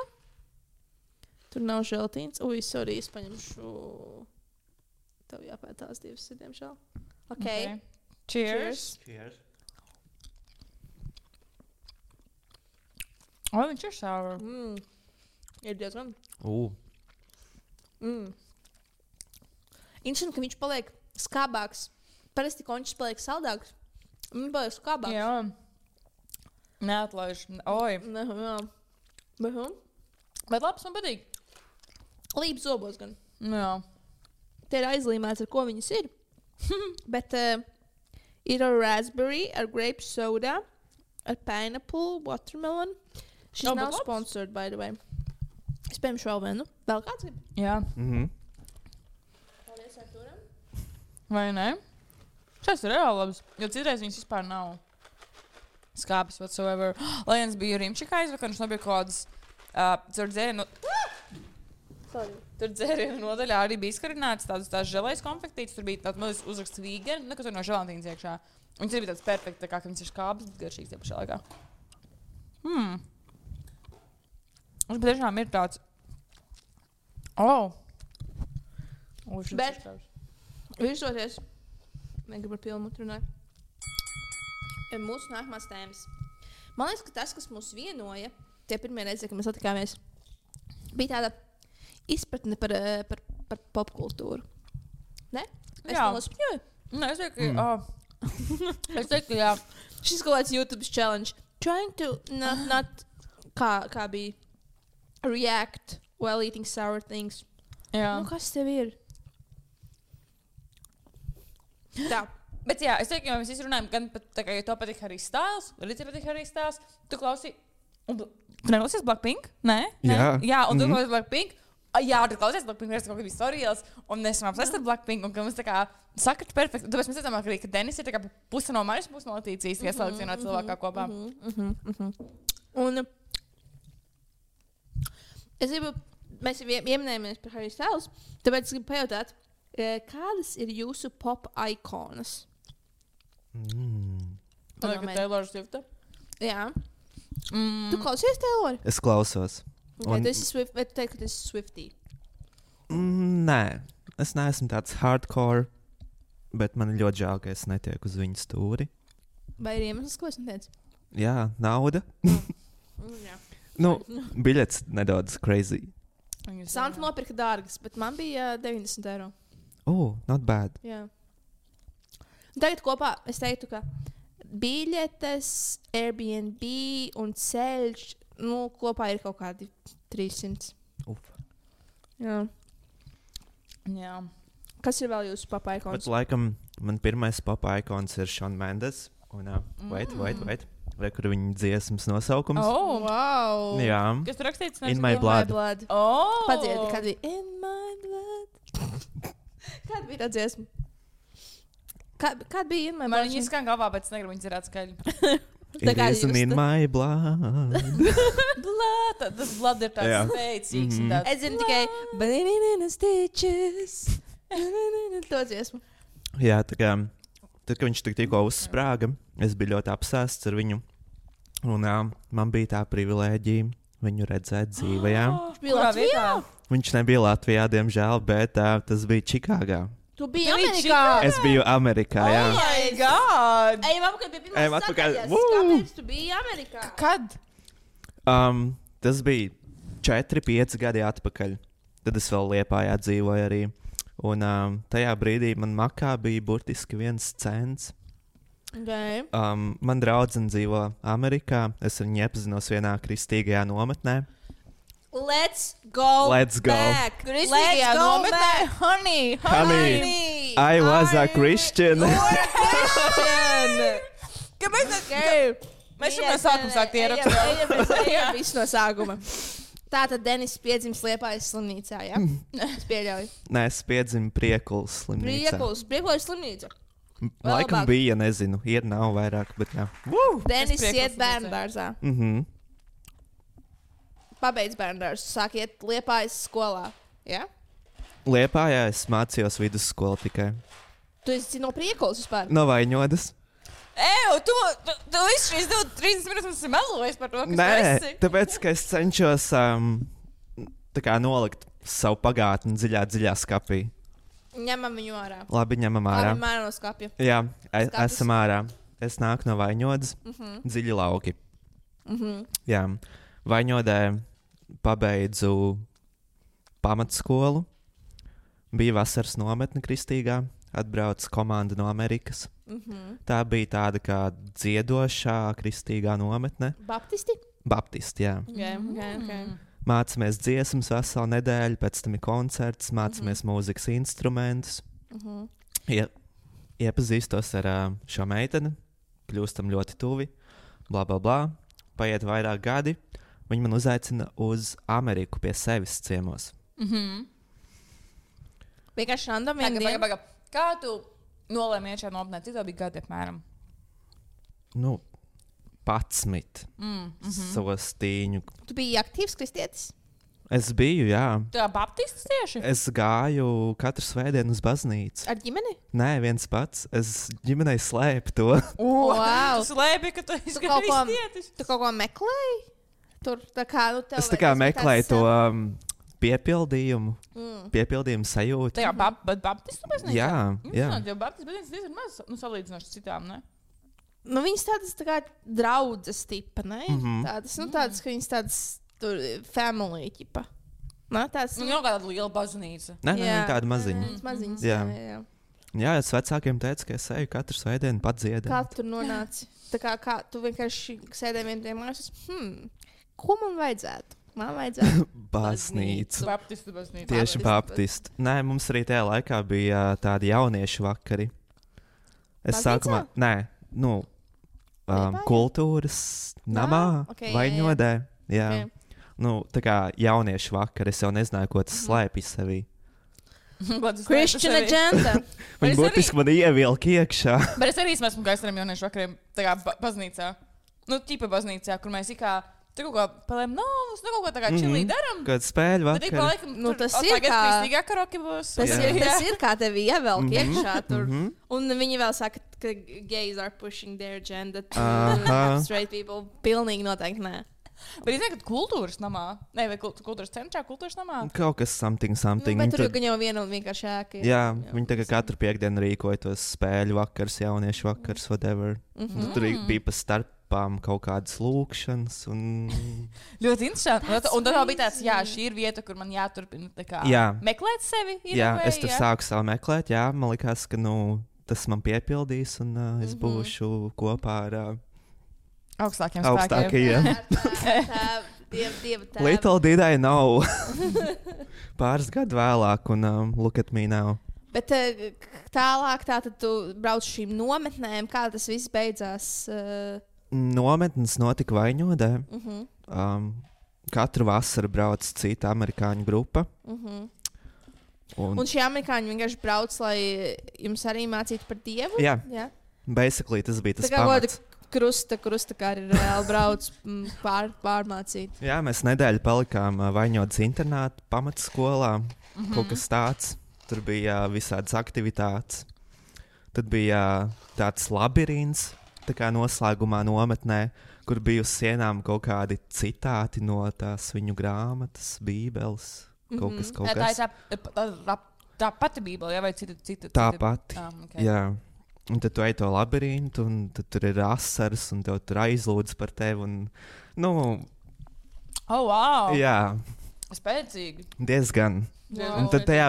Tur nav želtīns. Ui, sorry, es paņemšu, tev jāpēt tās divas, diemžēl. Okay.
Cheers. Viņš ir sour.
Ir diezgan. Interesanti, ka viņš paliek skābāks. Parasti končs paliek saldāks. Viņš paliek skābāks.
Jā. Neatlaiž. Oi.
Jā.
Bet labs man patīk.
Līp zobos gan.
Jā.
Te ir aizlīmēts, ar ko viņas ir. Bet ir ar raspberry, ar grape soda, ar pineapple, watermelon. Šis nav sponsored, by the way. Es pieņemšu vēl vienu. Vēl kāds grib?
Jā.
Paldies Arturam.
Vai ne? Šis ir reāli labs. Jo citreiz viņas vispār nav skāpis whatsoever. Lai viens bija Rimčikā aizvakar, viņš nebija kaut kādas tur dzērienu... Tur dzērienu nodaļā arī bija izkarināts tās želējas konfektītes. Tur bija tāds mazs uzraksts vegan, kas tur no želantīnas iekšā. Viņas ir tāds perfekts, kā viņas ir skābas, bet garšīgs tie pašā laikā. Viņš patiešām ir tāds.
Bet visoties, negribu par pilnu runāt. Mūsu nākamās tēmas. Man liekas, ka tas, kas mūs vienoja, tie pirmie reizi, kad mēs satikāmies, bija tāda izpratne par popkultūru. Ne? Es nospņoju.
Nē, es teiktu, ka jā.
Šis kaut kāds YouTube challenge. Trying to not kā bija react while eating sour things.
Jā.
Nu, kas tev ir? Tā.
Bet jā, es teiktu, ka mēs visi runājam, gan pat tā kā, ja to patīk Harry Styles, arī tev patīk Harry Styles, tu klausi, un tu neklausies Blackpink? Nē? Jā, un tu klausies Blackpink? Jā, tu klausies Blackpink, mēs kaut kā bija storijas, un mēs runājam saist ar Blackpink, un ka mums tā kā sakart perfekti. Tāpēc mēs redzam, ka Denis ir tā kā puse no manis, puse no Latīcijas, ja saliks vienā cilvēkā kopā.
Un es gribu, mēs ieminējamies par Harry Styles, tāpēc es gribu pajautāt, kādas ir jūsu pop ikonas?
Taylor Swift?
Jā. Tu klausies Taylor?
Es klausos.
Okay, tu esi Swift, vai tu teiksi, ka tu esi Swiftie?
Nē, es neesmu tāds hardcore, bet man ir ļoti žēl, ka es netieku uz viņu stūri.
Vai ir iemesls, ko es neteicu?
Jā, nauda.
Jā.
Nu, biļets nedaudz crazy.
Santa nopirka dārgas, bet man bija 90 eiro.
Not bad.
Jā. Tagad kopā es teiktu, ka biļetes, Airbnb un ceļš, nu, kopā ir kaut kādi 300. Jā.
Jā.
Kas ir vēl jūsu pop
Bet
ikons?
laikam man pirmais pop ikons ir Shawn Mendes. Un, wait. Vai kur viņa dziesmas nosaukums?
Wow!
Jā.
Kas tur rakstīts?
In my blood.
Padziedi, kad bija In my blood. Kāda bija tā dziesma? Kāda bija In my blood?
Man viņa skan galvā, bet es negribu viņu dzirāt skaļi.
It isn't in my blood.
Tas blood ir tāds spēcīgs.
Es zinu tikai Banana stitches. To dziesmu.
Jā, tā kā tad, kad viņš tikko uzsprāga, es biju ļoti apsēsts ar viņu. Un man bija tā privilēģija viņu redzēt dzīvē.
Viņš bija Latvijā?
Viņš nebija Latvijā, diemžēl, bet tas bija Čikāgā.
Tu biji Amerikā?
Es biju Amerikā, jā.
Oh my God!
Ejam apakaļ pie pirmās
atpakaļ.
sadaļas. Kāpēc tu biji Amerikā?
Kad?
Tas bija 4-5 gadi atpakaļ. Tad es vēl Liepājā dzīvoju arī. Un tajā brīdī man makā bija burtiski 1 cents.
Okay.
Man draudzene dzīvo Amerikā. Es ar viņu iepazinos vienā kristīgajā nometnē.
Let's go back.
Kristīgajā nometnē. Honey.
I was a Christian.
Kāpēc tas? Mēs jau no sākuma sākt ierakstīt.
Ejam visu no sākuma. Tātad Denis piedzimis Liepājas slimnīcā, jā? Es pieļauju.
Nē, es piedzimu Priekulas slimnīcā.
Priekulas slimnīca.
Laikam bija, nezinu, ir nav vairāk, bet jā.
Denis iet bērndārzā. Pabeidz bērndārzu, sāk iet Liepājas skolā, jā?
Liepājā es mācījos vidusskolu tikai.
Tu esi no Priekulas vispār?
No Vaņodas.
Tu visu šīs 30 minūtes melojis par to, kas tu esi.
Nē, tāpēc, ka es cenšos tā kā nolikt savu pagātni dziļā skapī.
Ņemam viņu ārā.
Labi, ņemam ārā.
Labi, mērā no skapja.
Jā, esam ārā. Es nāku no Vaņodas, dziļi lauki. Jā, Vaņodē pabeidzu pamatskolu. Bija vasaras nometne kristīgā. Atbrauc komanda no Amerikas. Tā bija tāda kā dziedošā kristīgā nometne.
Baptisti?
Baptisti, jā.
Okay.
Mācāmies dziesmas veselu nedēļu, pēc tam ir koncerts, mācāmies mūzikas instrumentus. Iepazīstos ar šo meiteni, kļūstam ļoti tuvi, bla, bla, bla. Paiet vairāk gadi, viņi man uzaicina uz Ameriku pie sevis ciemos.
Vienkārši random
Pagaid. Kā tu nolēmi iet šajā nometnē? Cik tev bija gadi apmēram?
11. Savos tīņu.
Tu biji aktīvs kristietis?
Es biju, jā.
Tā baptistis tieši?
Es gāju katru svētdienu uz baznīcu.
Ar ģimeni?
Nē, viens pats. Es ģimenei slēpu to.
Wow.
Tu slēpi, ka tu esi kristietis.
Tu kaut ko meklēji? Tur tā kā, nu, tev
Es tā kā meklēju to piepildījumu. Piepildījumu sajūtu.
Tajā baptistu baznīcā?
Jā.
Jo baptistu baznīca diezgan maz, salīdzinoši citām, ne?
Nu, viņas tādas tā kā draudzes tipa, ne? Tādas, ka viņas tādas tur family tipa. Nā, tāds.
Nu, jau kāda liela baznīca.
Nē, viņa tāda maziņa.
Maziņas,
Jā.
jā.
Jā, es vecākiem teicu, ka es eju katru svētdienu pat dziedāt.
Kā tu nonāci? Tā kā tu vienkārši sēdēji vienā mājās, ko man vajadzētu? Man vajadzētu
baznīcu.
Baptistu baznīca.
Tieši baptistu. Nē, mums arī tajā laikā bija tādi jauniešu vakari. Es sākumā, kultūras namā, Vaņodē. Jā.
Okay.
Nu, tā kā jauniešu vakar, es jau nezināju, ko tas slēpj sevī.
Christian agenda.
Viņi būtiski man ievilka iekšā.
Bet es arī esmu gājis ar jauniešu vakariem tā kā baznīcā. Nu, tīpa baznīcā, kur mēs tur kaut kā palējām novus, kaut ko tā kā čilī daram.
Kad spēļu vakar.
Bet ik pa laikam,
tas ir kā...
Kristīgā karoki būs.
Tas ir kā tevi ievelk iekšā tur. Un viņi vēl saka, ka gays are pushing their agenda to straight people. Pilnīgi noteikti nē.
Bet es nezinu, ka kultūras namā, vai kultūras centrā, kultūras namā?
Kaut kas something.
Bet tur jau viena un vienkārši ēka.
Jā, viņi tagad katru piekdienu rīkoja tos spēļu vakars, jauniešu vakars, whatever. Tur bija pa starpām kaut kādas lūkšanas.
Ļoti interesanti. Un tad bija tāds, šī ir vieta, kur man jāturpina meklēt sevi.
Es tur sāku savu meklēt, man likās, ka tas man piepildīs un es būšu kopā ar...
Augstākiem spēkiem.
Little did I know. Pāris gadu vēlāk, un look at me now.
Bet tālāk tātad tu brauc šīm nometnēm, kā tas viss beidzās?
Nometnes notika Vaņodē. Katru vasaru brauc cita amerikāņu grupa. Un
šie amerikāņi vienkārši brauc, lai jums arī mācītu par Dievu?
Jā. Basically tas bija tas pamats.
Krusta kā arī reāli brauc pārmācīt.
Jā, mēs nedēļu palikām Vaņodas internāta pamatskolā. Kaut kas tāds. Tur bija visādas aktivitātes. Tad bija tāds labirints, tā kā noslēgumā nometnē, kur bija uz sienām kaut kādi citāti no tās viņu grāmatas, bībeles. Kaut kas.
Tā pati bībele, vai cita?
Tā pati, jā. Un tad tu ej to labirintu, un tad tur ir asaras, un tev tur aizlūdz par tevi.
Wow!
Jā.
Spēcīgi.
Diezgan.
Wow.
Un tad tajā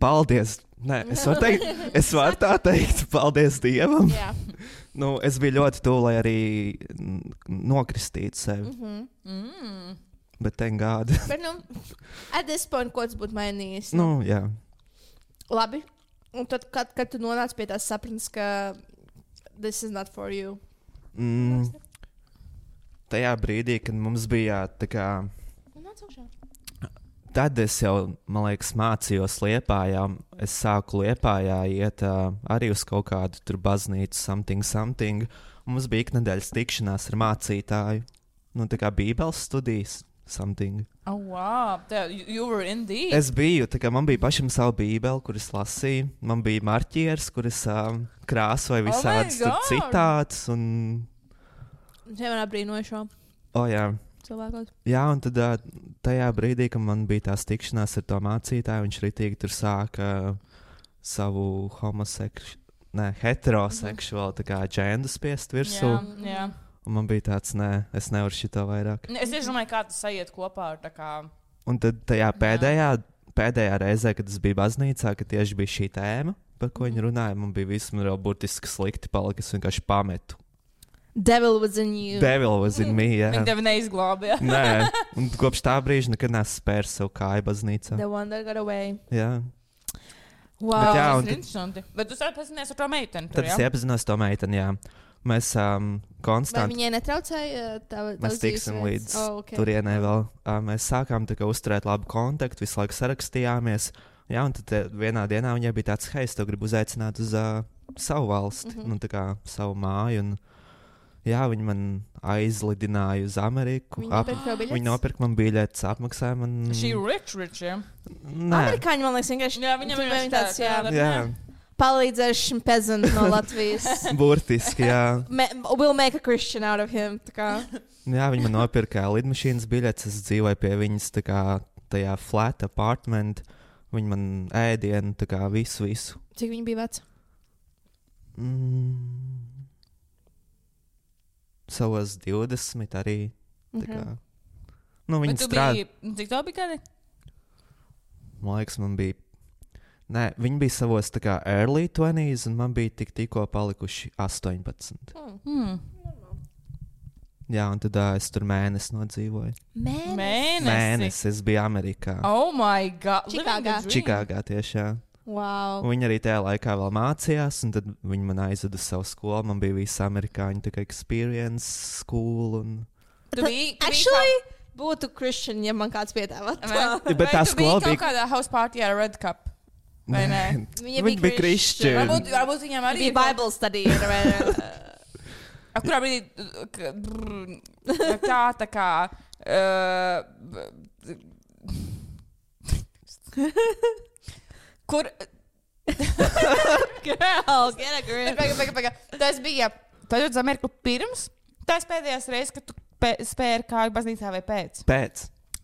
paldies. Nē, es varu tā teikt, paldies Dievam.
Jā.
Es biju ļoti tuvu, lai arī nokristītu sevi. Bet thank God.
Bet, at this point, ko tas būtu mainījis?
Jā.
Labi. Un tad, kad tu nonāc pie tās sapratnes, ka this is not for you?
Tajā brīdī, kad mums bija tā kā... Tad es jau, man liekas, mācījos Liepājā. Es sāku Liepājā iet arī uz kaut kādu tur baznīcu, something. Un mums bija iknedēļas tikšanās ar mācītāju. Tā kā bībeles studijas. Something.
Oh, wow. You were indeed.
Es biju, man bija pašam savu bībeli, kuras lasīju. Man bija marķieris, kuras krāsoja visādas citātus.
Šeit man apbrīnoja šo cilvēku.
Jā, un tad tajā brīdī, kad man bija tās tikšanās ar to mācītāju, viņš ritīgi tur sāka savu heteroseksuālu džendu spiest virsū.
Jā.
Un man bija tāds, es nevaru šito vairāk.
Es domāju, kā tas aiziet kopā ar tā kā...
Un tad tajā pēdējā reizē, kad es biju baznīcā, kad tieši bija šī tēma, par ko viņi runāja, man bija viss man jau burtiski slikti palika, es vienkārši pametu.
Devil was in you.
Devil was in me, jā.
Viņi tevi neizglābja.
Nē, un kopš tā brīža nekad neesmu spērs savu kāju baznīcā.
The one that got away.
Jā.
Wow.
Bet, jā,
tas ir interesanti. Bet tu iepazinieties ar to meiteni.
Tad es iepazinos to meiteni, jā. Mēs konstanti...
Vai viņai netraucēja
mēs tiksim līdz turienei vēl. Mēs sākām uzturēt labu kontaktu, visu laiku sarakstījāmies. Jā, un tad vienā dienā viņai bija tāds, hei, es tev gribu uzaicināt uz savu valsti, tā kā savu māju. Un Jā, viņi man aizlidināja uz Ameriku. Viņi nopirka man biļetes, apmaksāja man.
She rich, jā?
Nē.
Amerikāņi, man liekas, vienkārši.
Jā, viņam ir tāds,
Jā.
Palīdzējuši peasant no Latvijas.
Burtiski, jā.
We'll make a Christian out of him.
Jā, viņi man nopirka lidmašīnas biļetes. Es dzīvoju pie viņas tā kā tajā flat apartment. Viņi man ēdienu, tā kā visu.
Cik viņi bija veci?
Savos 20 arī. Tā kā. Nu, viņi strādā.
Cik tev bija gadi?
Man liekas, man bija. Nē, viņi bija savos tā kā early 20s, un man bija tikko palikuši 18. Jā, un tad es tur mēnesi nodzīvoju. Mēnesi. Es biju Amerikā.
Oh my God!
Čikāgā tieši, jā.
Wow.
Un viņi arī tajā laikā vēl mācījās, un tad viņi man aizveda uz savu skolu. Man bija visa amerikāņu tā kā experience school. Un...
Actually, būtu Christian, ja man kāds piedāvāt.
Bet tā skola
bija kaut kādā house party ar Red Cup. Vai ne?
Viņi bija Christian.
Varbūt viņam arī
bija Bible study.
Kurā brīdī tā kā kur
Girl, get a grip.
Tas bija uz Ameriku pirms tās pēdējās reizes, kad tu spēri kāju baznīcā vai pēc?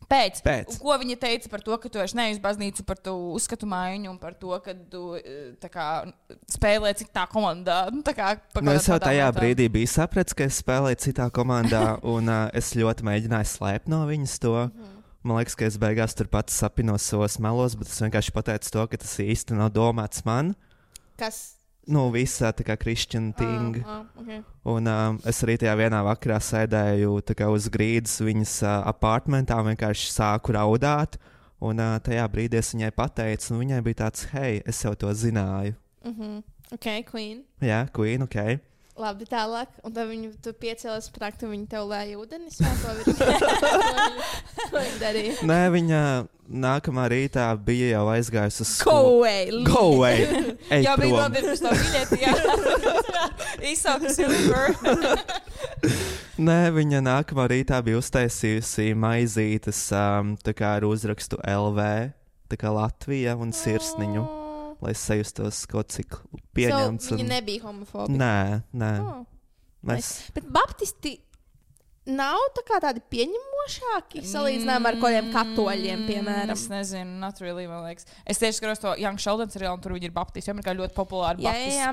Pēc. Ko viņa teica par to, ka tu esi nevis baznīcu, par to uzskatu maiņu un par to, ka tu spēlē citā komandā?
Es jau tajā brīdī biju sapratis, ka es spēlēju citā komandā, un es ļoti mēģināju slēpt no viņas to. Man liekas, ka es beigās tur pats sapinos savos melos, bet es vienkārši pateicu to, ka tas īsti nav domāts man.
Kas?
Nu, visā tā kā Christian thing.
Okay.
Un es arī tajā vienā vakarā sēdēju uz grīdas viņas apartmentā, vienkārši sāku raudāt. Un tajā brīdī es viņai pateicu, un viņai bija tāds, hei, es jau to zināju.
Ok, Queen.
Jā, Queen, ok.
Labi, tālāk. Un tad tu piecēlies prakt, un viņa tev lēja ūdenis. Ko viņa darīja?
Nē, viņa nākamā rītā bija jau aizgājusi uz
skolu. Go away!
Jā, bija nopirkusi to biļeti, jā. Īsākas Uber.
Nē, viņa nākamā rītā bija uztaisījusi maizītes tā kā ar uzrakstu LV, tā kā Latvija un sirsniņu. Lai es sajustos kaut cik pieņemts.
Viņa nebija homofoba.
Nē.
Bet baptisti nav tādi pieņemošāki salīdzinājumā ar kādiem katoļiem, piemēram.
Es nezinu, not really, man liekas. Es tieši skatos to Young Sheldon seriālu, un tur viņi ir baptisti. Amerikā ļoti populāri baptisti. Jā,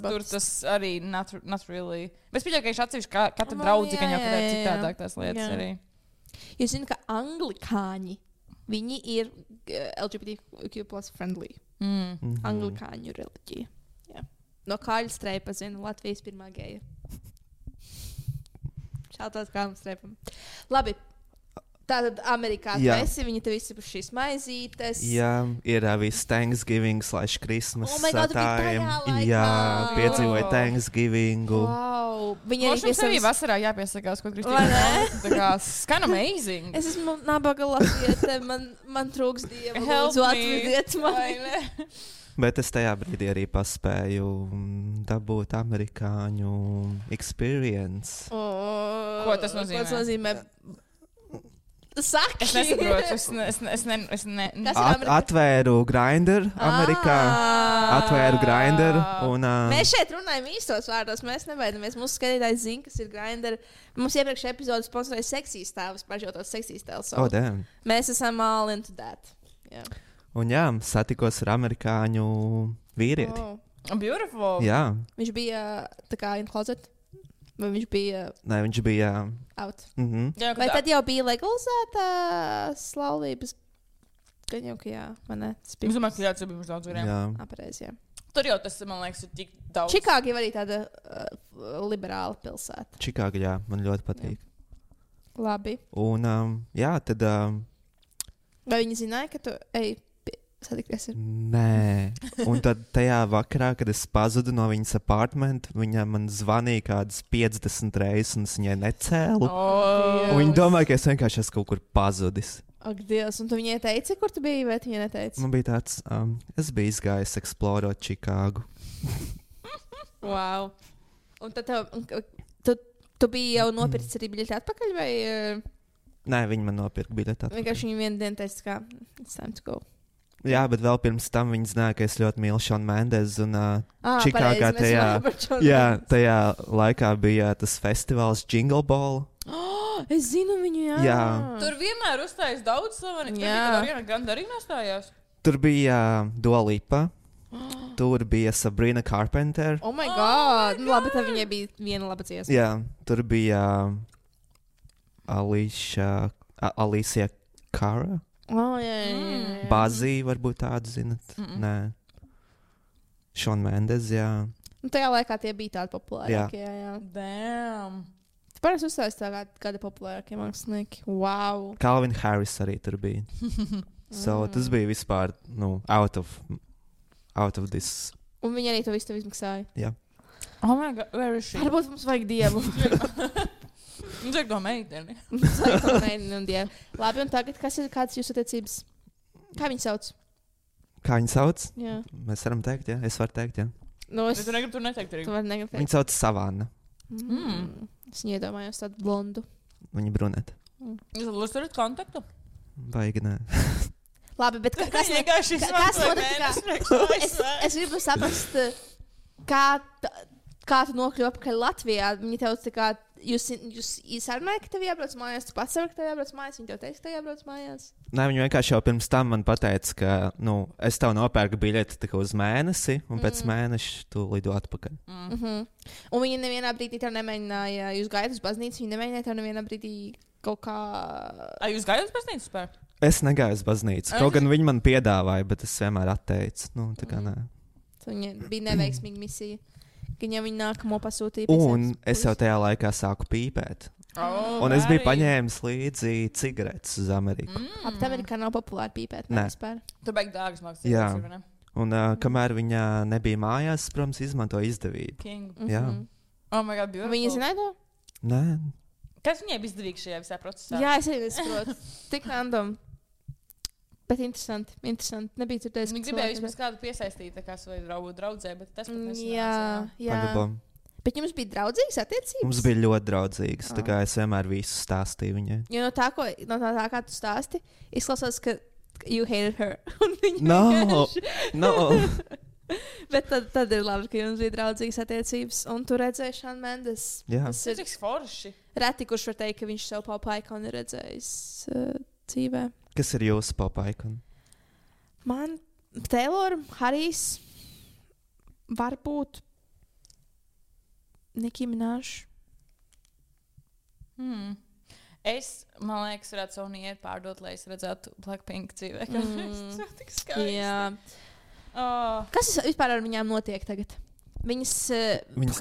tur tas arī not really. Bet es pieļauju, ka viņš atsevišķi katra draudzi, ka jau kādā citādāk tās lietas arī.
Jūs zināt, ka anglikāņi, viņi ir LGBTQ+ friendly. Anglikāņu reliģija. Jā. No Kāļa Streipa zinu, Latvijas pirmā geja. Šāds Kāļa Streipam. Labi. Tātad Amerikā tu esi, viņi tev izsipuši šīs maizītes.
Jā, ir viss Thanksgiving / Christmas
time.
Jā, piedzīvoju Thanksgiving.
Wow. Viņi
arī arī vasarā jāpiesakās, ko Kristīna. Tā kā skan amazing.
Es esmu nabaga latviete, man trūks dieva. Lūdzu, atvediet mani.
Bet es tajā brīdī arī paspēju dabūt amerikāņu experience.
Ko tas nozīmē?
Ko tas nozīmē? Saki.
Es nesaprotu.
Atvēru Grindr Amerikā. Atvēru Grindr.
Mēs šeit runājam īstos vārdos. Mēs nebaidamies. Mūsu skatītājs zina, kas ir Grindr. Mums iepriekš epizodes sponsorēja seksīs tēvs, pažotos seksīs tēvs. Mēs esam all into that. Yeah.
Un jā, satikos ar amerikāņu vīrieti.
Beautiful.
Jā.
Viņš bija tā kā in closet. Vai viņš bija?
Nē, viņš bija
out.
Jā,
vai tad jau bija legalizēta laulības? Gan jau, ka jā, man ne.
Es domāju, ka jā, tas bija mums daudz variem.
Jā.
Apreiz, jā.
Tur jau tas, man liekas, ir tik daudz.
Čikāga ir arī tāda liberāla pilsēta.
Čikāga, jā, man ļoti patīk.
Jā. Labi.
Un jā, tad...
Vai viņi zināja, ka tu ej satikties ar?
Nē. Un tad tajā vakarā, kad es pazudu no viņas apartmenta, viņa man zvanīja kādas 50 reizes, un es viņai necēlu. Un viņa domāja, ka es vienkārši esmu kaut kur pazudis.
Ak, Dievs, un tu viņai teici, kur tu biji, vai tu viņai neteici?
Man bija tāds, es biju izgājis eksplorot Čikāgu.
Wow. Un tad tu Tu biji jau nopircis arī biļeti atpakaļ, vai
Nē, viņi man nopirka biļeti atpakaļ.
vienkārši viņi vienu dienu teica, ka it's time to go?
Jā, bet vēl pirms tam viņi zināja, ka es ļoti mīlu Šonu Mendezu. Un Čikāgā tajā laikā bija tas festivāls Jingle Ball.
Es zinu viņu,
Jā.
Tur vienmēr uzstājas daudz slaveni. Jā. Tur Grande arī nostājās.
Tur bija Dua Lipa. Tur bija Sabrina Carpenter.
Oh my god! Nu, labi, tad viņai bija viena laba dziesma.
Jā, tur bija Alicia Cara.
Jā.
Bazī, varbūt tādu zinat. Nē. Šona Mendes, jā.
Nu, tajā laikā tie bija tādi populārākie. Jā.
Damn.
Parasti uzstājas tā kādi populārākie mākslinieki. Wow!
Calvin Harris arī tur bija. So, tas bija vispār, out of this.
Un viņi arī to visu izmaksāja.
Jā.
Oh my god, where is she?
Varbūt mums vajag dievu.
Mums vajag to meiteni.
Mums vajag to meiteni un dievu. Labi, un tagad, kādas jūsu attiecības? Kā viņi sauc?
Kā viņi sauc?
Jā.
Mēs varam teikt, jā. Es varu teikt, jā.
Nu,
Bet tu negribi tur neteikt arī.
Tu vari negribi teikt.
Viņi sauc Savana.
Es iedomājos tādu blondu.
Viņa bruneta.
Jūs turat kontaktu?
Vajag, nē.
Labi, bet kas notika? Es gribu saprast, kā tu nokļuvi apakaļ Latvijā. Viņi tev tā kā, jūs sarunāja, ka tev jābrauc mājās, tu pats savi, ka tev jābrauc mājās, viņi tev teica, ka tev jābrauc mājās.
Nē, viņi vienkārši jau pirms tam man pateica, ka, es tev nopērku biļeti tikai uz mēnesi, un pēc mēneša tu lido atpakaļ.
Un viņi nevienā brīdī tev nemēģināja, jūs gājat uz baznīcu, viņi nemēģināja tev nevienā brīdī kaut kā...
Jūs gājat uz baznīcu spēr?
Es negāju uz baznīcu. Kaut gan viņi man piedāvāja, bet es vienmēr atteicu. Tā kā nē.
Viņa bija neveiksmīga misija. Viņam viņa nākamo pasūtīja.
Un es jau tajā laikā sāku pīpēt. Un es biju paņēmis līdzi cigaretes uz Ameriku.
Ap Amerikā nav populāri pīpēt.
Nē.
Tur beig dārgas maksas.
Jā. Un kamēr viņa nebija mājās, protams, izmantoja izdevību. Jā.
Oh my god, beautiful.
Viņa zināja to?
Nē.
Kas viņai bija izdevīgs šajā visā procesā?
Jā, es arī nesaprotu. Tik random. Bet interesanti. Nebija dzirdējis,
Viņa gribēja vismaz kādu piesaistīt, kā savu draudzē, bet tas pat nesanāca.
Jā.
Pagabam.
Bet jums bija draudzīgas attiecības?
Mums bija ļoti draudzīgas. Tā kā es vienmēr visu stāstīju viņai.
Jo no tā, kā tu stāsti, izklausās, ka you hated her.
No.
Bet tad ir labi, ka jums bija draudzīgas attiecības. Un tu redzēji Šonu Mendes.
Jā.
Tas ir cik forši.
Reti, kurš var teikt, ka viņš savu popu ikonu ir redzējis dzīvē.
Kas ir jūsu popu ikona?
Man Taylor, Harijs, varbūt Nicki Minaj.
Es, man liekas, varētu savu nieru pārdot, lai es redzētu Blackpink dzīvē. Tas ir tik skaisti.
Jā. Kas vispār ar viņām notiek tagad?
Viņas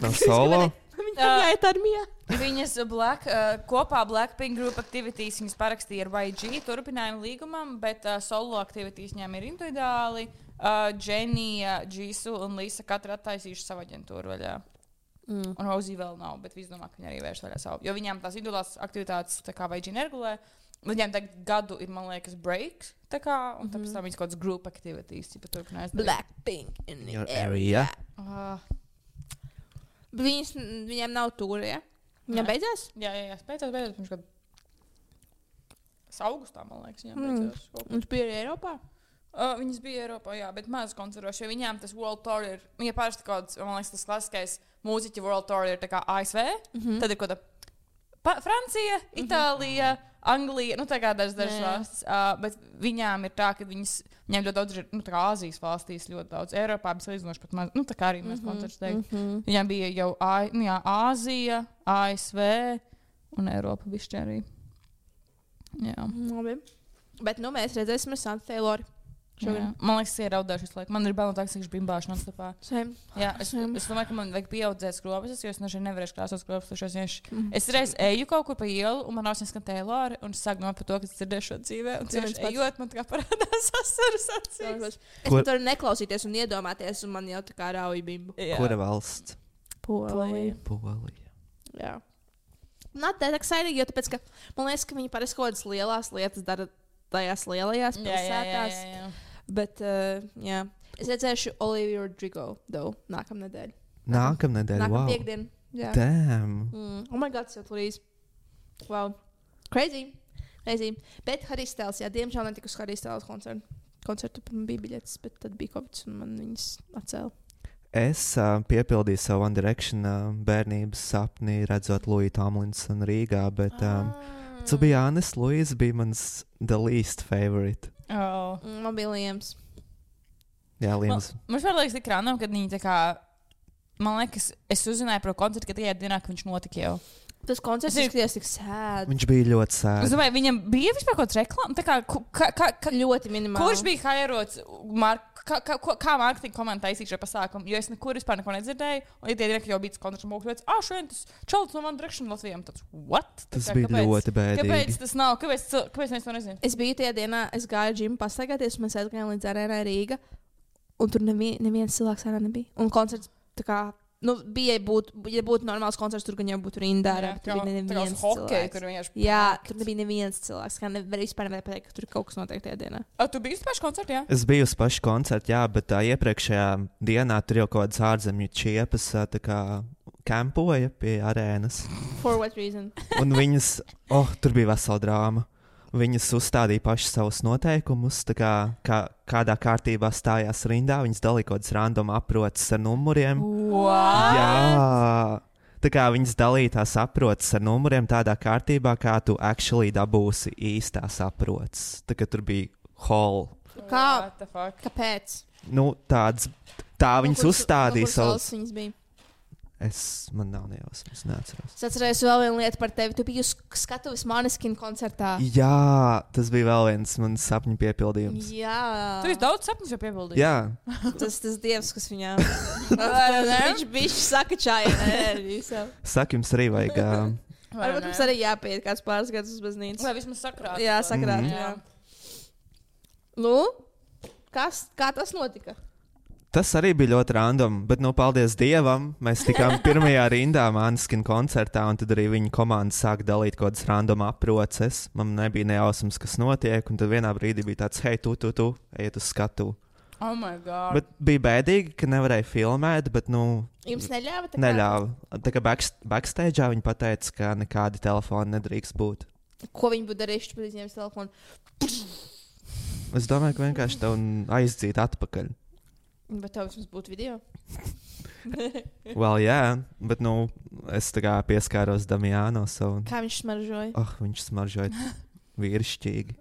nav solo.
Viņas iet armijā.
Viņas kopā Blackpink Group Activities viņas parakstīja ar YG turpinājumu līgumam, bet solo aktivitātes viņām ir individuāli. Dženija, Jisoo un Lisa katra attaisījuši savu aģentūru vaļā. Un Rosie vēl nav, bet visi domā, ka viņi arī vērš vaļā savu. Jo viņām tās individuālās aktivitātes tā kā YG neregulē. Viņām tagad gadu ir, man liekas, breaks. Tā kā, un tāpēc tam viņas kaut kāds group activities.
Blackpink in the
area.
Viņiem nav tūri, ja? Viņam beidzās?
Jā, beidzās pirms gadu. Augustā, man liekas, viņam beidzās.
Un tu biji arī Eiropā?
Viņas bija Eiropā, jā, bet maz koncertoši, jo viņām tas World Tour ir, viņa parasti kaut kāds, man liekas, tas klasiskais mūziķu World Tour ir tā kā ASV, tad ir kaut kā Francija, Itālija, Anglija, tā kā dažas valstis, bet viņām ir tā, ka viņām ļoti daudz ir, tā kā Āzijas valstīs ļoti daudz, Eiropā bija salīdzinoši pat maz, tā kā arī mēs koncertus teikt. Viņām bija jau Āzija, ASV un Eiropa bišķi arī. Jā.
Labi. Bet mēs redzēsim ar Santu Tayloru.
Man liekas, tas ir raudājuši visu laiku. Man ir bail no tā, ka viņš bimbāšu non-stopā. Jā, es domāju, ka man vajag pieaudzēt skropas, jo es nevarēšu krāsot skropas. Es reiz eju kaut kur pa ielu, un man ausīs skan Taylor, un es sāku domāt par to, ka es dzirdēšu šo dzīvē. Un tieši ejot, man tā kā parādās asaras acīs.
Es pat varu neklausīties un iedomāties, un man jau tā kā rauj bimbu.
Kura valsts?
Polija. Jā. Not that exciting, jo tāpēc, ka man liekas, ka viņi parasti kaut kādas lielās lietas dara tajās lielajās pilsētās.
Jā.
Bet, jā. Es redzēšu Olivia Rodrigo, nākamnedēļ.
Nākamnedēļ, wow.
Piekdien. Jā.
Damn.
Oh my god, so please. Wow. Crazy. Bet Harijs Styles, jā, diemžēl netika uz Harijs Styles koncertu. Man bija biļetes, bet tad bija Covid un man viņas atcēla.
Es piepildīju savu One Direction bērnības sapni, redzot Louis Tomlinsonu Rīgā, bet to be honest, Louis bija mans the least favorite.
Man bija Liams.
Jā, Liams.
Man liekas, tik random, kad viņi tā kā, man liekas, es uzzināju par koncertu, ka tajā dienā, ka viņš notika jau.
Tas koncerts izskatījās tik sēd.
Viņš bija ļoti sēd.
Es domāju, viņam bija vispār kaut kāds reklāmas, tā kā
ļoti minimāli.
Kurš bija hairots, kā mārketinga komanda taisīja šo pasākumu, jo es nekur vispār neko nedzirdēju, un ja tie direkti jau bija tas koncerts, un mūks, šodien tas čalts no One Direction Latvijām, tāds, what?
Tas bija ļoti bēdīgi.
Kāpēc tas nav? Kāpēc mēs to nezinām?
Es biju tajā dienā, es gāju džimu pastaigāties, un mēs aizgājām līdz arēnai Rīga, un tur neviens cilvēks arā nebija. Un koncerts tā kā, bija, ja būtu normāls koncerts, tur gan jau būtu rindā, bet tur bija neviens cilvēks. Jā, tur nebija neviens cilvēks, kā vispār nevarēja pateikt, ka tur kaut kas notiek tajā dienā.
Tu biji uz pašu koncertu, jā?
Es biju uz pašu koncertu, jā, bet iepriekšējā dienā tur jau kaut kādas ārzemju čiepas tā kā kampoja pie arēnas.
For what reason?
Un viņas, tur bija vesela drāma. Viņas uzstādīja pašas savus noteikumus, tā kā kādā kārtībā stājās rindā. Viņas dalīja kaut kādas random aproces ar numuriem.
What?
Jā, tā kā viņas dalīja tās aproces ar numuriem tādā kārtībā, kā tu actually dabūsi īstās aproces. Tā kā tur bija hall.
Kāpēc?
Tā viņas uzstādīja savus. Man nav nejausmas, neatceros.
Es atceros vēl vienu lietu par tevi. Tu biji uz skatuves Måneskin koncertā.
Jā, tas bija vēl viens mans sapņu piepildījums.
Jā.
Tu esi daudz sapņus jau piepildījis.
Jā.
Tas dievs, kas viņām. Viņš bišķi saka čāja enerģiju.
Saka, jums arī vajag.
Varbūt mums arī jāpiet kāds pāris gadus uz baznīcu.
Vai vismaz sakrāt.
Jā, sakrāt, jā. Kā tas notika?
Tas arī bija ļoti random, bet, paldies Dievam, mēs tikām pirmajā rindā Måneskin koncertā, un tad arī viņa komanda sāka dalīt kaut kādas random aproces. Man nebija nejausmas, kas notiek, un tad vienā brīdī bija tāds, hei, tu, ejiet uz skatu.
Oh my God.
Bet bija bēdīgi, ka nevarēja filmēt, bet,
Jums neļāva?
Neļāva. Tā kā backstage'ā viņi pateica, ka nekādi telefoni nedrīkst būt.
Ko viņi būtu darījuši, kad izņēmis telefonu?
Es domāju, ka vienkārši tev aizdzīt atpakaļ.
Bet tev vismaz būtu video?
Jā, bet es tā kā pieskāros Damiano savu.
Kā viņš smaržoja?
Viņš smaržoja vīrišķīgi.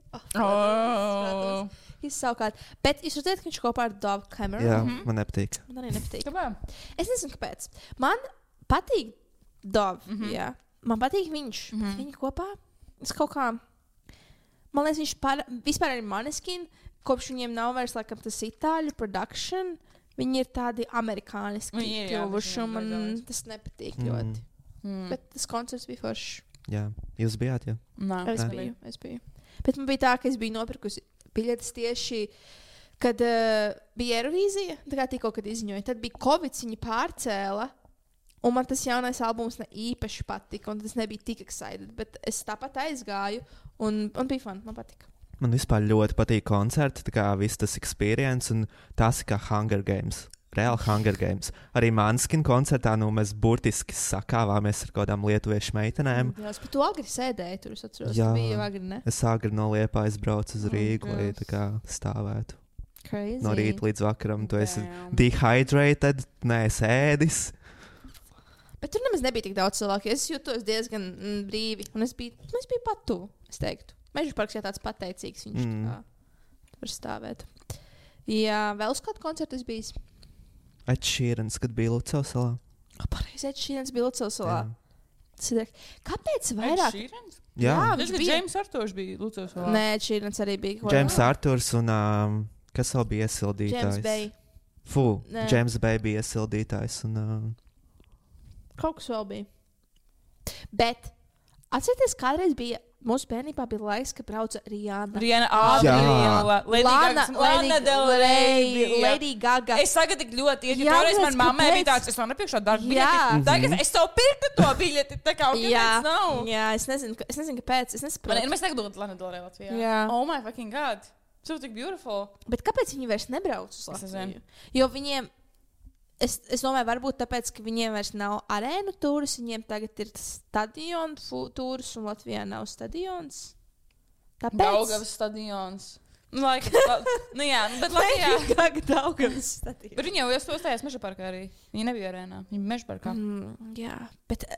Savukārt. Bet jūs redzat, ka viņš kopā ar Dove Cameron?
Jā, man nepatīk.
Man arī nepatīk.
Kāpēc?
Es nezinu, kāpēc. Man patīk Dove, jā. Man patīk viņš. Viņi kopā. Es kaut kā... Man liekas, viņš vispār arī Måneskin. Kopš viņiem nav vairs laikam tas itāļu production, viņi ir tādi amerikāniski kļuvuši, un man tas nepatīk ļoti. Bet tas koncerts bija foršs.
Jā, jūs bijāt, jā?
Nē,
es biju. Bet man bija tā, ka es biju nopirkusi biļetes tieši, kad bija Eirovīzija, tā kā tikko, kad izziņoja. Tad bija Covid, viņi pārcēla, un man tas jaunais albums ne īpaši patika, un tas nebija tik excited, bet es tāpat aizgāju, un bija fun, man patika.
Man vispār ļoti patīk koncerti, tā kā viss tas experience, un tas kā Hunger Games. Reāli Hunger Games. Arī Måneskin koncertā mēs burtiski sakāvāmies ar kādām lietuviešu meitenēm.
Jā, bet tu agri sēdēji tur, es atceros. Jā, bija agri, ne?
Es agri no Liepājas braucu uz Rīgu, lai tā kā stāvētu.
Crazy.
No rīta līdz vakaram. Tu esi dehydrated, neesi ēdis.
Bet tur nemaz nebija tik daudz cilvēku. Es jūtos diezgan brīvi, un es biju pat tuvu, es teiktu. Meža parks jau tāds pateicīgs, viņš tā var stāvēt. Jā, vēl uz kādu koncertu es bijis?
Ed Sheerans, kad bija Lucavas salā.
Pareizi, Ed Sheerans bija Lucavas salā. Kāpēc vairāk?
Ed Sheerans?
Jā.
Tas bija James Arthurs bija Lucavas salā.
Nē, Ed Sheerans arī bija.
James Arthurs un kas vēl bija iesildītājs?
James Bay.
James Bay bija iesildītājs un...
Kaut kas vēl bija. Bet, atcerieties, kādreiz bija mūsu bērnībā bija laiks, kad brauca Rihanna. Lana Del Rey, Lady Gaga.
Es tagad tik ļoti iet, jo toreiz man mammai bija tāds, es vēl nepirkšu šo darbu biļeti. Tagad es tev pirktu to biļeti, tā kā kāpēc nav?
Jā, es nezinu, kāpēc. Es nesaprotu.
Mēs negribam Lana Del Rey Latvijā.
Jā.
Oh my fucking God. So tik beautiful.
Bet kāpēc viņi vairs nebrauc uz Latviju? Jo viņiem Es domāju, varbūt tāpēc, ka viņiem vairs nav arēnu tūris, viņiem tagad ir stadionu tūris, un Latvijā nav stadions. Tāpēc.
Daugavas stadions. Jā, bet Latvijā.
Daugavas stadions.
Bet viņi jau uzstājās Meža parkā arī. Viņi nebija arēnā, viņi bija Meža parkā.
Jā, bet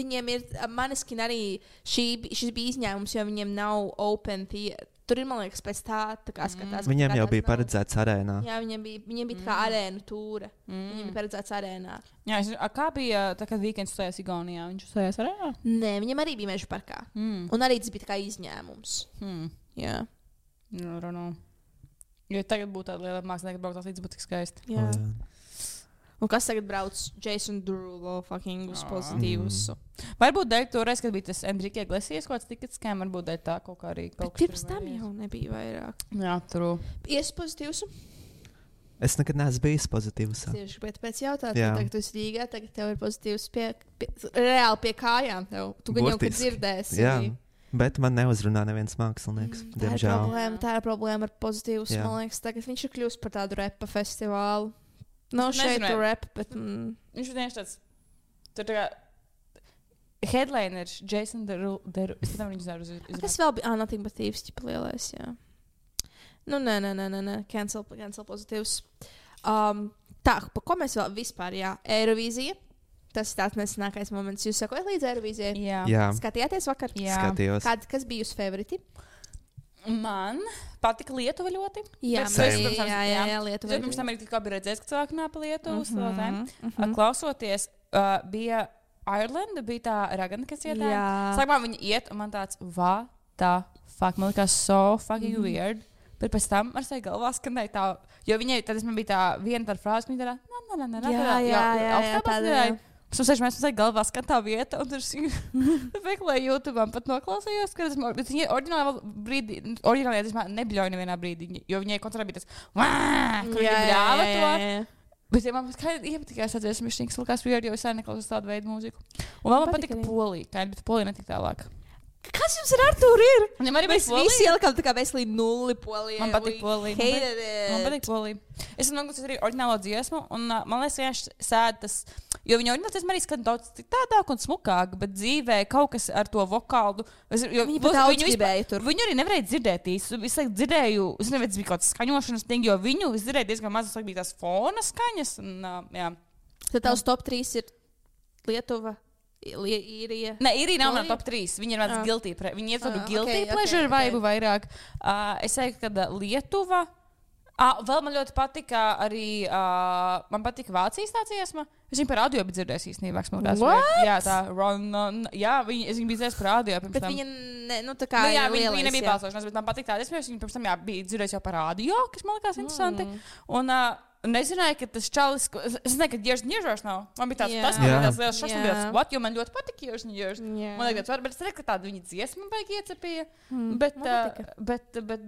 viņiem ir, Maneskin arī šis bija izņēmums, jo viņiem nav open theater. Tur ir, man liekas, pēc tā kā skatās.
Viņiem jau bija paredzēts arēnā.
Jā, viņiem bija tā kā arēnu tūra. Viņiem bija paredzēts arēnā.
Jā, kā bija tā, kad Weekends uzstājās Igaunijā? Viņš uzstājās arēnā?
Nē, viņam arī bija Meža parkā. Un arī tas bija tā kā izņēmums. Jā.
Jo tagad būtu tāda liela mākslinieka, ka brauktās līdz būtu tik skaisti.
Jā. Un kas tagad brauc Jason Derulo fucking uz pozitīvus?
Varbūt dēļ toreiz, kad bija tas Enrique Iglesias kaut kāds tikets skēm, varbūt dēļ tā kaut kā arī kaut kas.
Pirms tam jau nebija vairāk.
Jā, true.
Ies pozitīvus?
Es nekad neesmu bijis pozitīvs.
Tieši pēc jautāt, tagad tu esi Rīgā, tagad tev ir pozitīvs reāli pie kājām tev. Tu gan jau, kad dzirdēsi.
Jā. Bet man neuzrunā neviens mākslinieks.
Tā ir problēma ar pozitīvus. Man liekas, tagad viņš ir kļūst par tādu repa festivālu. Nav šeit rap, bet...
Viņš ir vienkārši tāds... Tur tā kā... Headliners, Jason Derulo... Es pat viņu zinu uz...
Kas vēl bija? Nothing but Thieves, ķipa lielais, jā. Nē. Cancel pozitīvs. Tā, pa ko mēs vēl vispār, jā. Eirovīzija. Tas ir tāds nesenākais moments. Jūs sakojat līdz Eirovīzijai?
Jā.
Skatījāties vakar?
Jā.
Skatījos.
Kas bija jūsu favoriti?
Man patika Lietuva ļoti.
Jā, Lietuva.
Pirms tam arī tikko bija redzējis, ka cilvēki runā par Lietuvu. Klausoties, bija Ireland, bija tā Ragana, kas ietā. Sākumā viņi iet, un man tāds, what the fuck, man likās so fucking weird. Bet pēc tam ar sevi galvā skanēja tā, jo viņai, tad man bija tā viena tāda frāze, ka viņa tādā,
jā.
Pēc tam mēs galvā skan tā vieta, un tur meklēju YouTube, pat noklausījos, ka viņi oriģināli nebļauja nevienā brīdī, jo viņai koncertā bija tas, kur viņi bļāva to. Bet ja man iepatikās atdzies, viņš likās weird, jo es arī neklausos tādu veidu mūziku. Un vēl man patika Polija, bet Polija netika tālāk.
Kas jums ar Artūru ir?
Viņam arī
mēs visi ielikām tā kā veselīgi nulli Polijai.
Man patīk Polija. Man patīk Polija. Es noklausījos arī oriģinālo dziesmu, un man liekas, vienkārši sēd tas, jo viņa oriģinālo dziesma arī skan daudz citādāk un smukāk, bet dzīvē kaut kas ar to vokālu.
Viņi pat daudz gribēja tur.
Viņu arī nevarēja dzirdēt īsti. Es dzirdēju, es nevienu, bija kaut kāds skaņošanas ting, jo viņu es dzirdēju diezgan maz, bija tās fona skaņas. Un,
tad tavs top 3 ir Lietuva. Īrija.
Nē, Īrija nav no top 3. Viņi ir tāds guilty. Viņi ir tādu guilty pleasure vibe vairāk. Es teiktu, ka Lietuva. Vēl man ļoti patika arī. Man patika Vācijas tā dziesma. Es viņu par audio biju dzirdējis īstenībā. Jā, tā Ron. Jā, es viņu biju dzirdējis par audio pirms tam.
Bet viņa, tā kā
jā, viņa nebija balsošanās, bet man patika tā dziesma. Viņa pirms tam bija dzirdējis jau par audio, kas man likās interesanti. Un nezināju, ka tas čalis, es nezinu, ka Years and Years nav. Man bija tāds, man bija tāds liels šoks, man bija tāds, what, jo man ļoti patika Years and Years. Man liekas, bet es redzu, ka tāda viņa dziesma baigi iecepīja.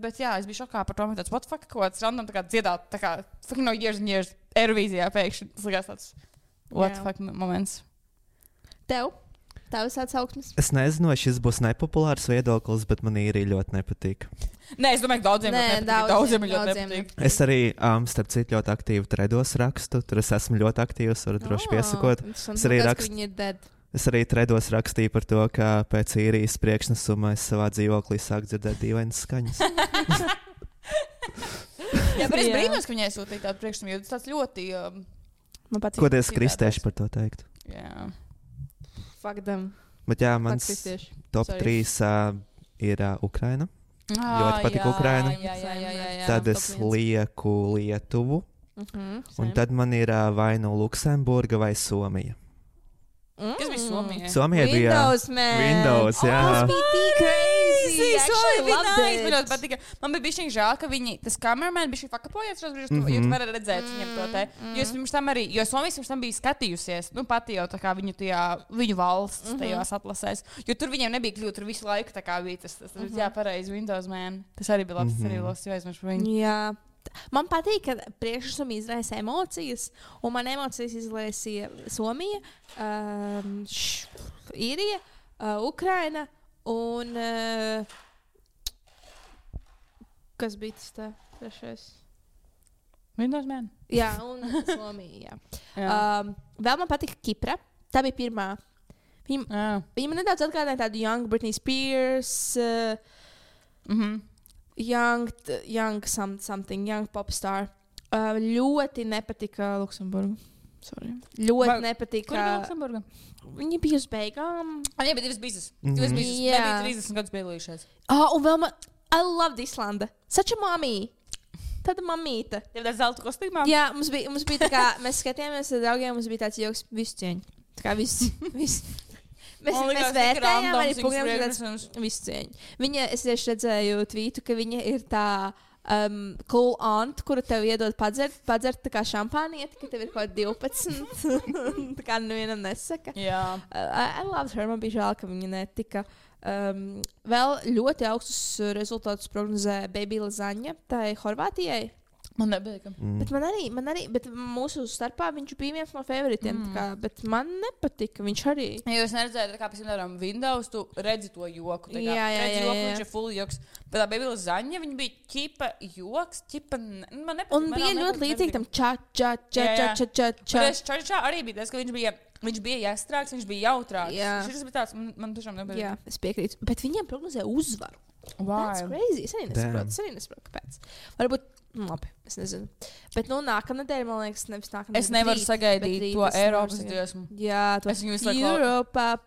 Bet jā, es biju šokā par to, man tāds, what fuck, kaut kāds random tā kā dziedāt, tā kā fucking no Years and Years Eirovīzijā pēkšņi. Tas likās tāds, what fuck moments.
Tev? Tavs atsauksmes?
Es nezinu, vai šis būs nepopulārs viedoklis, bet man īri ļoti nepatīk.
Nē, es domāju, ka daudziem ļoti nepatīk.
Es arī, starp citu, ļoti aktīvi tredos rakstu. Tur es esmu ļoti aktīvs, varu droši piesakot. Es arī tredos rakstīju par to, ka pēc īrijas priekšnesuma es savā dzīvoklī sāku dzirdēt dīvainas skaņas.
Jā, bet es brīnos, ka viņai sūtīja tādu priekšnesumu, jo tas tāds ļoti...
Ko tie kristieši par to teikt?
Jā.
Bet jā, mans top 3 ir Ukraina. Ļoti patīk Ukraina. Tad es lieku Lietuvu. Un tad man ir vai nu Luksemburga vai Somija.
Kas bija Somija?
Somija bija Windows, jā.
Tas bija tik crazy.
Man bija bišķiņ žēl, ka viņi, tas kameraman bišķiņ fakapojies, jo tu vari redzēt viņam to te. Jo es pirms tam arī, jo Somijas pirms tam bija skatījusies, pati jau tā kā viņu valsts tajos atlasēs. Jo tur viņiem nebija kļūt, tur visu laiku tā kā bija tas jā, pareizi Windows man. Tas arī bija labs, tas arī labs, jo aizmirst par viņu.
Jā. Man patīk, ka priekšnesumi izraisa emocijas, un man emocijas izraisīja Somija, Īrija, Ukraina un kas bija tas tā trešais?
Windows Man.
Jā, un Somija.
Jā.
Vēl man patika Kipra. Tā bija pirmā. Viņa man nedaudz atgādāja tādu Young Britney Spears, Young popstar. Ļoti nepatika Luksemburga. Sorry. Ļoti nepatika.
Kur bija Luksemburga?
Viņa bija uz beigām.
Jā, bet divas bizes. Nebija 30 gadus biedalījušies.
Un vēl man... I loved Islanda. Such a mommy. Tāda mamīte.
Tev tāds zelta kostīmā?
Jā, mums bija tā kā, mēs skatījāmies ar draugiem, mums bija tāds joks, visu cieņu. Tā kā visu. Mēs vērtējām arī programmas visu cieņu. Viņa, es tieši redzēju tvītu, ka viņa ir tā cool aunt, kuru tev iedod padzert tā kā šampānieti, ka tev ir kaut 12. Tā kā nevienam nesaka.
Jā.
I loved her, man bija žēl, ka viņa netika. Vēl ļoti augstus rezultātus prognozē Baby Lazaņa, tā ir Horvātijai.
Man nebija.
Bet man arī, bet mūsu starpā viņš bija viens no favoritiem, kā, bet man nepatika, viņš arī.
Ja jūs neredzējat, kā, piemēram, Windows, tu redzi to joku.
Jā.
Viņš ir full joks. Bet tā Baby Lazaņa, viņa bija ķipa joks, man nepatika.
Un bija ļoti līdzīgi tam ča.
Ča arī bija tas, ka viņš bija jāstrāks, viņš bija jautrāks. Šis bija tāds, man tiešām nebija.
Jā, es piekrītu. Bet viņiem prognozē uzvaru. That's crazy. Es arī nesaprotu, kāpēc. Varbūt, labi, es nezinu. Bet, nākamnedēļ, man liekas, nevis nākamnedēļ.
Es nevaru sagaidīt to Eiropas dziesmu.
Jā, to Europa,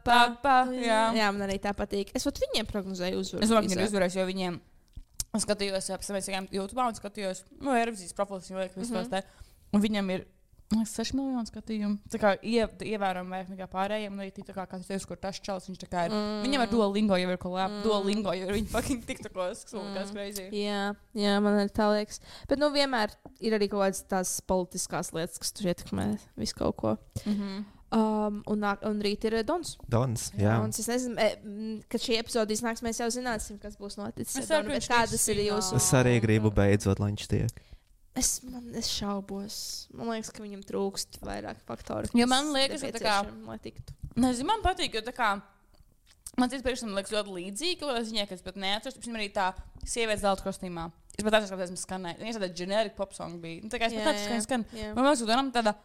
jā, man arī tā patīk. Es viņiem prognozēju uzvaru.
Es domāju, ka viņi uzvarēs, jo viņiem skatījos, mēs gājām YouTube un skatījos, Eiropas profils, jo liek vispār te. Un viņam ir 6 miljonu skatījumu. Tā kā ievērojami vairāk nekā pārējiem. Un arī tā kā kāds teiks, kur tas čels, viņš tā kā ir. Viņam ar Duolingo jau ir kolēp. Duolingo jau ir viņa fucking tiktokos. Kas crazy.
Jā, man arī tā liekas. Bet, vienmēr ir arī kaut kādas tās politiskās lietas, kas tur ietekmē visu kaut ko. Un rīt ir Dons.
Jā.
Es nezinu, kad šī epizode iznāks, mēs jau zināsim, kas būs noticis. Kādas ir jūsu...
Es arī gribu beidzot, lai viņš tiek.
Es šaubos. Man liekas, ka viņam trūkst vairāk faktoru.
Jo man liekas, ka tā kā...
Lai tiktu.
Nezinu, man patīk, jo tā kā... Man cits priekšsam liekas ļoti līdzīgi, kaut kādā ziņā, ka es pat neatceros. Piemēram, arī tā sievietes zelta kostīmā. Es pat atceros, ka esmu skanēju. Viņa tāda generic pop song bija. Tā kā es pat atceros, ka viņa skan. Man liekas, ka Donam tāda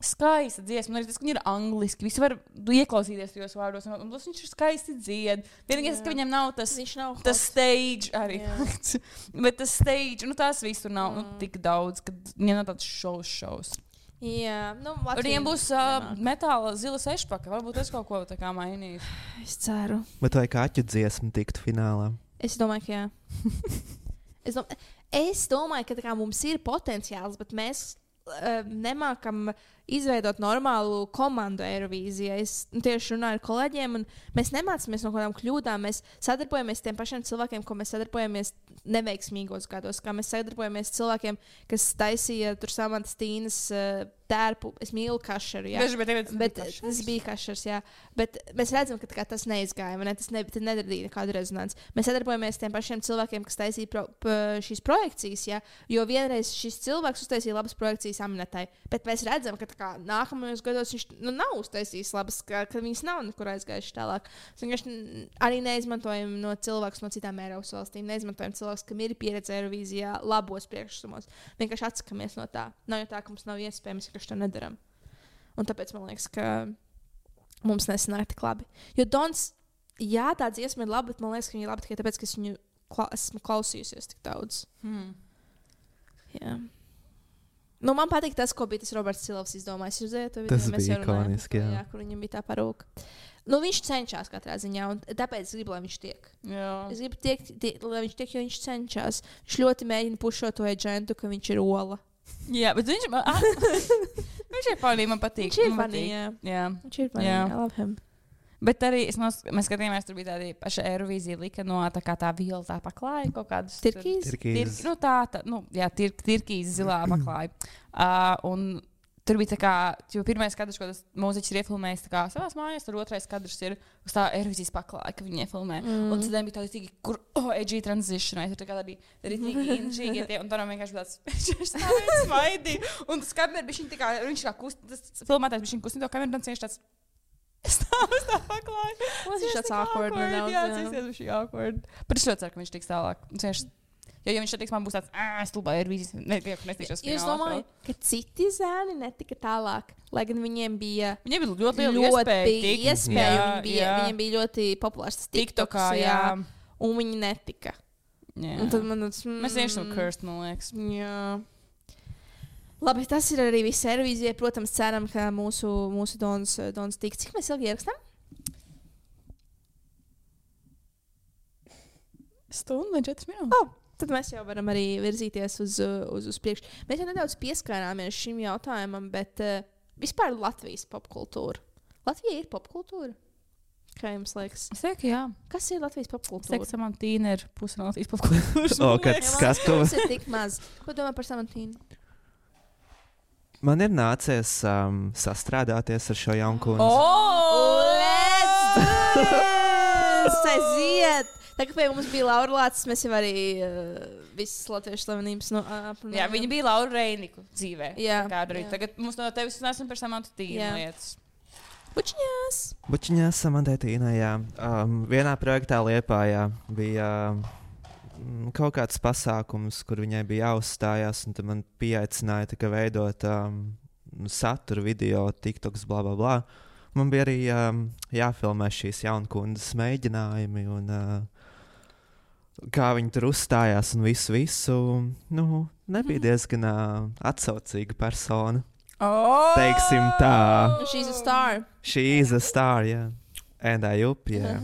skaista dziesma. Arī tas, ka viņa ir angliski. Visi var ieklausīties tajos vārdos. Un viņš ir skaisti dzied. Vienīgais, ka viņam nav tas stage arī. Bet tas stage, tās viss tur nav tik daudz, ka viņam nav tāds šovs.
Jā,
viņiem būs metāla zila sešpaka. Varbūt es kaut ko tā kā mainīšu.
Es ceru.
Bet vai Kaķu dziesma tiktu finālā?
Es domāju, ka jā. Es domāju, ka mums ir potenciāls, bet mēs nemākam izveidot normālu komandu Eirovīzijā. Es tieši runāju ar kolēģiem, un mēs nemācāmies no kādām kļūdām. Mēs sadarbojamies ar tiem pašiem cilvēkiem, ko mēs sadarbojamies neveiksmīgos gados. Kā mēs sadarbojamies cilvēkiem, kas taisīja tur Samantas Tīnas tērpu. Es mīlu kašeru, jā. Bet tas bija kašers, jā. Bet mēs redzam, ka tas neizgāja, ne? Tas nedarīja nekādu rezonanci. Mēs sadarbojamies ar tiem pašiem cilvēkiem, kas taisīja šīs projekcijas, jā. Jo vienreiz šis cilvēks uztaisīja labas projekcijas Aminetai. Bet mēs redzam, ka nākamajos gados viņš nav uztaisījis labas, ka viņas nav nekur aizgājuši tālāk. Mēs arī neizmantojam no cilvēkus no citām Eiropas valstīm. Neizmantojam cilvēkus, kam ir pieredze Eirovīzijā labos priekšsumos. Vienkārši atsakamies no tā. Nav jau tā, ka mums nav iespējams, ka to nedaram. Un tāpēc man liekas, ka mums nesanāk tik labi. Jo Dons, jā, tā dziesma ir laba, bet man liekas, ka viņa ir laba tikai tāpēc, ka es viņu esmu klausījusies tik daudz. Jā. Man patīk tas, ko bija tas Roberts Silovs izdomājis.
Tas bija ikoniski, jā.
Kur viņam bija tā parūka. Viņš cenšas katrā ziņā, un tāpēc es gribu, lai viņš tiek.
Jā.
Es gribu, lai viņš tiek, jo viņš cenšas. Viņš ļoti mēģina pušot to aģentu, ka viņš ir ola.
Jā, bet viņš ir funny, man patīk.
Viņš ir funny, jā. Viņš ir funny, I love him.
Bet arī mēs skatījāmies, tur bija tāda paša Eirovīzija lika no tā violetā paklāja kaut kādus.
Tirkīz.
Tirkīz zilā paklāja. Un tur bija tā kā, jo pirmais kadrs, ko tas mūziķis ir iefilmējis tā kā savās mājās, tur otrais kadrs ir uz tā Eirovīzijas paklāja, ka viņi iefilmē. Un tad bija tādi tīgi, kur edgy transition, tur tā kā tādi tīgi inžīgi, un tā vienkārši bija tāds stāvēt smaidī. Un tas kameras bija viņa tā kā, viņš kā tas filmētājs bija viņa kustina to kameru, un viņš tāds stāv tā paklāja.
Tas ir tāds awkward.
Jā, tas ir awkward. Bet es ļoti ceru, ka viņš tiks tālāk. Jo, ja viņš teiks, man būs tāds, stulbā ir vīzis, nestīšos
Jūs domājat, ka citi zēni netika tālāk, lai gan viņiem bija
ļoti liela
iespēja. Viņiem bija ļoti populārs TikTokā, un viņi netika. Un tad man
mēs vienkārši esam cursed, man liekas.
Jā. Labi, tas ir arī viss Eirovīzijai. Protams, ceram, ka mūsu Dons tiks. Cik mēs ilgi ierakstām?
Stundu un 4 minūtes.
Tad mēs jau varam arī virzīties uz priekšu. Mēs jau nedaudz pieskārāmies šim jautājumam, bet vispār Latvijas popkultūra. Latvija ir popkultūra? Kā jums liekas?
Es teiktu, jā.
Kas ir Latvijas popkultūra?
Es teiktu, Samantīna ir puse no Latvijas popkultūras.
Kas to?
Tas ir tik maz. Ko domā par Samantīnu?
Man ir nācies sastrādāties ar šo jaunkundzi.
Let's do this! Aiziet! Tā kā pie mums bija Laura Lācis, mēs jau arī visas latviešu slavenības aprunājām.
Jā, viņa bija Laura Reiniku dzīvē.
Jā.
Tagad mums no tevis nesam par Samantīnu lietas.
Bučiņās
Samantīnā, jā. Vienā projektā Liepājā bija kaut kāds pasākums, kur viņai bija jāuzstājās, un tad man pieaicināja veidot saturu, video, TikToks, bla, bla, bla. Man bija arī jāfilmē šīs jaunkundas mēģinājumi, un kā viņi tur uzstājās, un visu. Nebija diezgan atsaucīga persona. Teiksim tā.
She's a star.
She's a star, jā. And I up, jā.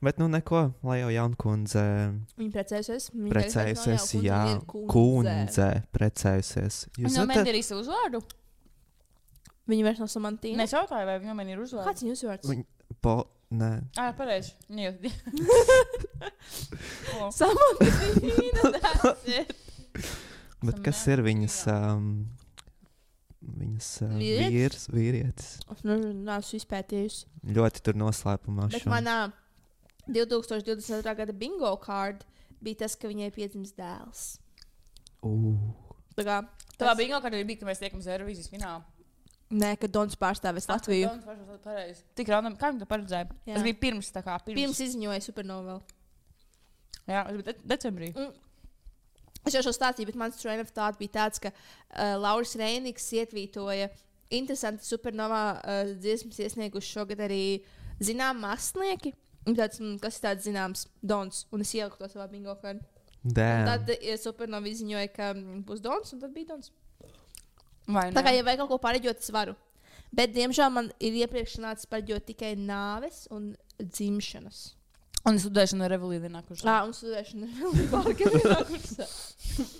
Bet neko, lai jau jaunkundze
viņa precējusies.
Precējusies, jā. Kundze precējusies.
Viņa nomainīja arī savu uzvārdu?
Viņa vairs nav Samantīna.
Es jautāju, vai viņa nomainīja uzvārdu.
Kāds viņa uzvārds?
Nē.
Pareizi.
Samantīna, that's it.
Bet kas ir viņas vīrietis?
Es neesmu izpētījusi.
Ļoti tur noslēpumā.
Bet manā 2022. gada bingo card bija tas, ka viņai piedzims dēls.
Tavā bingo cardā bija, ka mēs tiekamies Eirovīzijas finālā.
Nē, ka Dons pārstāvēs Latviju.
Tik random, kā viņi to paredzēja? Tas bija pirms.
Pirms izziņoja Supernovēl.
Jā, tas bija decembrī.
Es jau šo stāstīju, bet mans train of thought bija tāds, ka Lauris Reiniks ietvītoja interesanti Supernovā dziesmas iesnieguši šogad arī zinām mākslinieki. Tāds, kas ir tāds zināms Dons, un es ieliku to savā bingo kartā. Tad Supernova izziņoja, ka būs Dons, un tad bija Dons. Tā kā, ja vajag kaut ko pareģot, es varu. Bet, diemžēl, man ir iepriekš nācis pareģot tikai nāves un dzimšanas.
Un studēšana ar Revolī vienā kursā.
Un studēšana ar Revolī vienā kursā.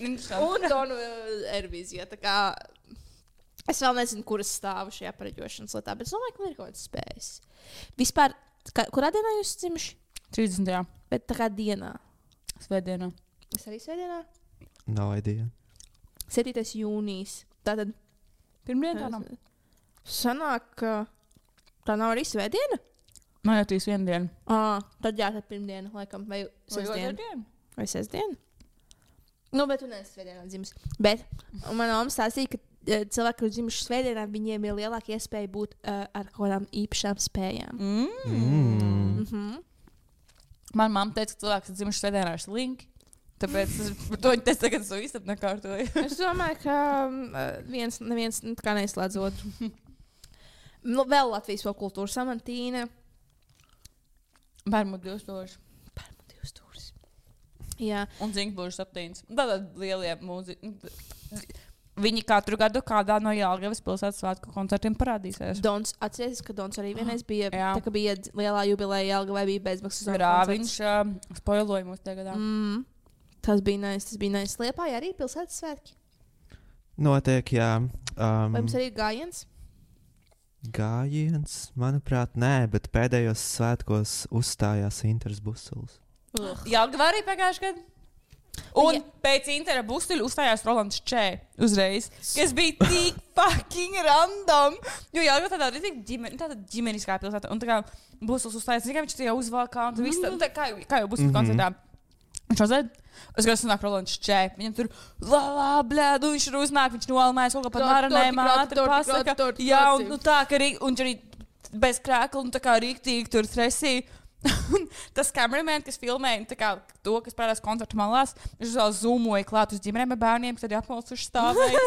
Un Donu Eirovīzijā. Tā kā es vēl nezinu, kuras stāvu šajā pareģošanas lietā, bet es domāju, ka man ir kaut kāds spējas. Vispār, kurā dienā jūs dzimuši?
30.
Bet tā kā dienā?
Svētdienā.
Es arī svētdienā?
No idea.
7. jūnijas. Tātad
pirmdiena tā nav.
Sanāk, ka tā nav arī svētdiena?
Man jau tīs viena diena.
Tad jā, tad pirmdiena, laikam, vai sestdiena. Vai sestdiena? Bet tu neesi svētdienā dzimis. Bet manā mamma stāstīja, ka cilvēki, kur dzimuši svētdienā, viņiem ir lielāka iespēja būt ar kaut kādām īpašām spējām.
Man mamma teica, ka cilvēks, kas dzimuši svētdienā, ir slinki. Tāpēc to viņi teica, ka es to īstenībā nekārtoju.
Es domāju, ka neviens kā neizslēdz otru. Vēl Latvijas popkultūra Samantīna.
Bermudu 2000.
Jā.
Un Zinkbūžu 7. Tātad lielie mūziķi. Viņi katru gadu kādā no Jelgavas pilsētas svētku koncertiem parādīsies.
Dons, atcerieties, ka Dons arī vienreiz bija, tā kā bija lielā jubileja Jelgavai, bija bezmaksas koncerts.
Viņš spoiloja mūs tajā gadā.
Tas bija nice. Liepājā arī pilsētas svētki.
Notiek, jā.
Vai jums arī ir gājiens?
Gājiens? Manuprāt, nē, bet pēdējos svētkos uzstājās Inters Busuls.
Jelgavā arī pagājuši gadu. Un pēc Intera Busuļa uzstājās Rolands Čē uzreiz. Kas bija tik fucking random. Jo Jelgava tāda ģimeniskā pilsēta. Un tā kā Busuls uzstājās, viņš tajā uzvalkā. Un viss tā, kā jau Busuļa koncertā. Viņš uzēd. Es gribēju sanākt Rolands Čē. Viņam tur blēdu, viņš ir uznāk, viņš nolamājas kaut kā par maranēm ātri pasaka. Jā, un tā, ka viņš arī bez krēkla un tā kā rīktīgi tur stresī. Tas kameramen, kas filmēja to, kas parādās koncertu malās, viņš vēl zoomoja klāt uz ģimenēm ar bērniem, kas tad apmalsuši stāvēja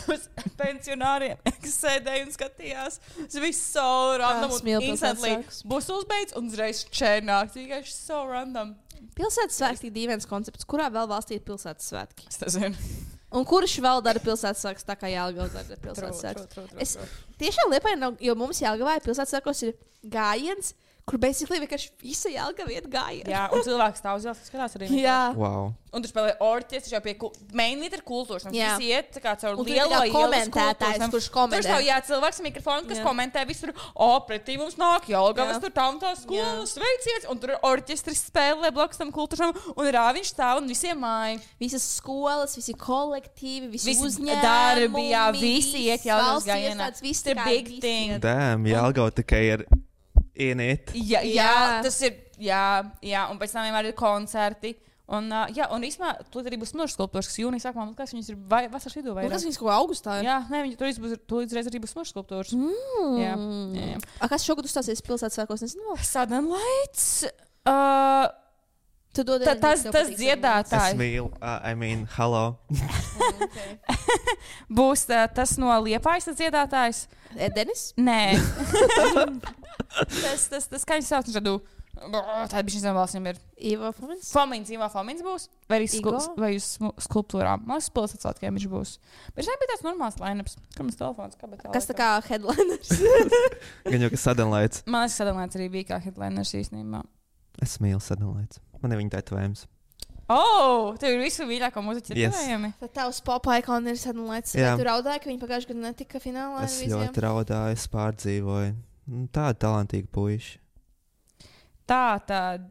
uz pensionāriem, kas sēdēja un skatījās. Tas viss so random un instantly būs uzbeidz un uzreiz čērnāk. Tikai so random.
Pilsētas svētki ir dīvains koncepts. Kurā vēl valstī ir pilsētas svētki?
Es nezinu.
Un kurš vēl dara pilsētas svētkus tā kā Jelgavā dara pilsētas svētkus? Es tiešām Liepājā nav, jo mums Jelgavā pilsētas svētkos ir gājiens, kur basically vienkārši visa Jelgava iet gājienā.
Jā, un cilvēks stāv uz ielas, skatās arī.
Jā.
Wow.
Un tu spēlē orķestri jau pie mainīt ar kultūras.
Jā.
Visi iet tā kā caur
Un tur
lielo
ir komentētājs, kurš komentē.
Tur stāv, jā, cilvēks ar mikrofonu, kas komentē visur. Pretī mums nāk Jelgavas, tur tā un tā skolas, sveiciens. Un tur orķestris spēlē blakus tam kultūram. Un rāviņš stāv un visiem māja.
Visas skolas, visi kolektīvi, visi uzņēmumi.
Darbi, jā, visi iet Jelgavas gājienā.
Viss
ir big thing.
Damn, Jelgava tikai ir ienīt.
Jā, tas ir, jā, un pēc tam vienmēr ir koncerti. Un īstenībā tur arī būs smilšu skulptūras, kas jūnijā sākumā, man liekas, viņas ir vasaras vidū vai
kas viņas kaut kā augustā ir?
Jā, nē, viņi tur līdz arī būs smilšu skulptūras. Jā.
Kas šogad uzstāsies pilsētas svētkos, nezinu?
Sudden Lights.
Tu dod
Tas dziedātājs.
Es mīlu, hello.
Būs tas no Liepājas dziedātājs.
Denis?
Nē. tas kā viņš sauc, viņš tādu. Tā bija šis valsts, viņam ir
Ivo Fomins.
Ivo Fomins būs. Vai arī uz skulptūrām. Man liekas, pilsētas svētkiem viņš būs. Bet šeit bija tāds normāls line-ups. Kā mums telefons,
kas tā kā headliners?
Gan jau, ka Sudden Lights.
Man liekas, Sudden Lights arī bija kā headliners īstenībā.
Es mīlu Sudden Lights. Man ir viņa tetovējums.
Tev ir visu mīļāko mūziķu tetovējumi.
Tad tavs pop icon ir Sudden Lights. Vai tu raudāji, ka viņi pagājuši gadu netika finālā?
Es ļoti raudāju, es pārdzīvoju. Tāda talantīga puiši.
Tā tad.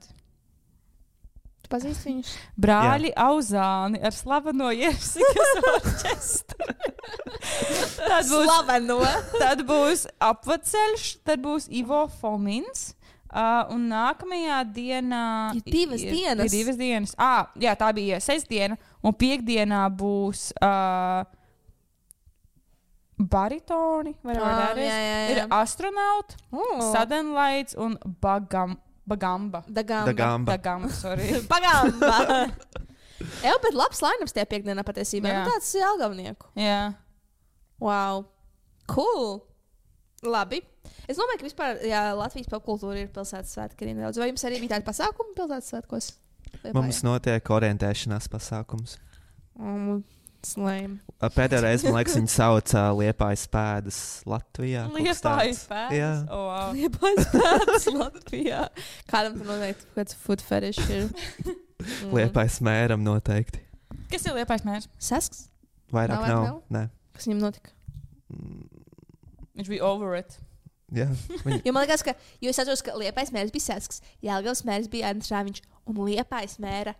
Tu pazīsti viņus?
Brāļi Auzāni ar slaveno Jersikas orķestru. Tad būs Apvaceļš, tad būs Ivo Fomins. Un nākamajā dienā
ir divas
dienas. Jā, tā bija sestdiena. Un piekdienā būs baritoni. Ir astronauti, Sudden Lights un Bagamba. Sorry.
Bagamba. Bet labs line-ups tie piekdienā patiesībā. Tāds Jelgavnieku.
Jā.
Wow. Cool. Labi. Es domāju, ka vispār Latvijas popkultūra ir pilsētas svētki arī nedaudz. Vai jums arī bija tādi pasākumi pilsētas svētkos?
Mums notiek orientēšanās pasākums.
Slēm.
Pēdējā reize, man liekas, viņi sauca Liepājas pēdas Latvijā.
Liepājas pēdas?
Jā.
Wow.
Liepājas pēdas Latvijā. Kādam tur noteikti kāds food fetish ir?
Liepājas mēram noteikti.
Kas ir Liepājas mērs?
Sasks?
Vairāk nav. Nē.
Kas viņam notika?
Viņš bija over it.
Jā.
Jo man liekas, jo es atceros, ka Liepājas mērs bija Sasks, Jelgavas mērs bija Andris Rāviņš, un Liepājas mēra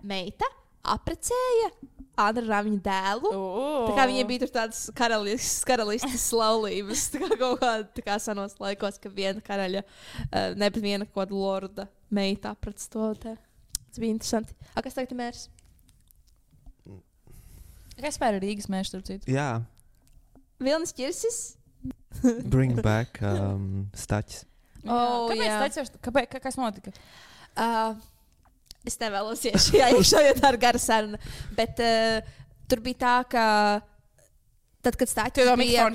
meita apprecēja Andra Rāviņa dēlu. Tā kā viņiem bija tur tādas karalistas laulības, tā kā kaut kā senos laikos, ka viena karaļa, nevis viena kaut kāda lorda meita aprec to. Tas bija interesanti. Kas tagad ir mērs?
Kas pēr ir Rīgas mērs, starp citu?
Jā.
Vilnis Ķirsis?
Bring back Staķis.
Kāpēc? Kas notika?
Es nevēlos iet šajā iekšā, jo tā ir gara saruna. Bet tur bija tā, ka tad, kad Staķis bija...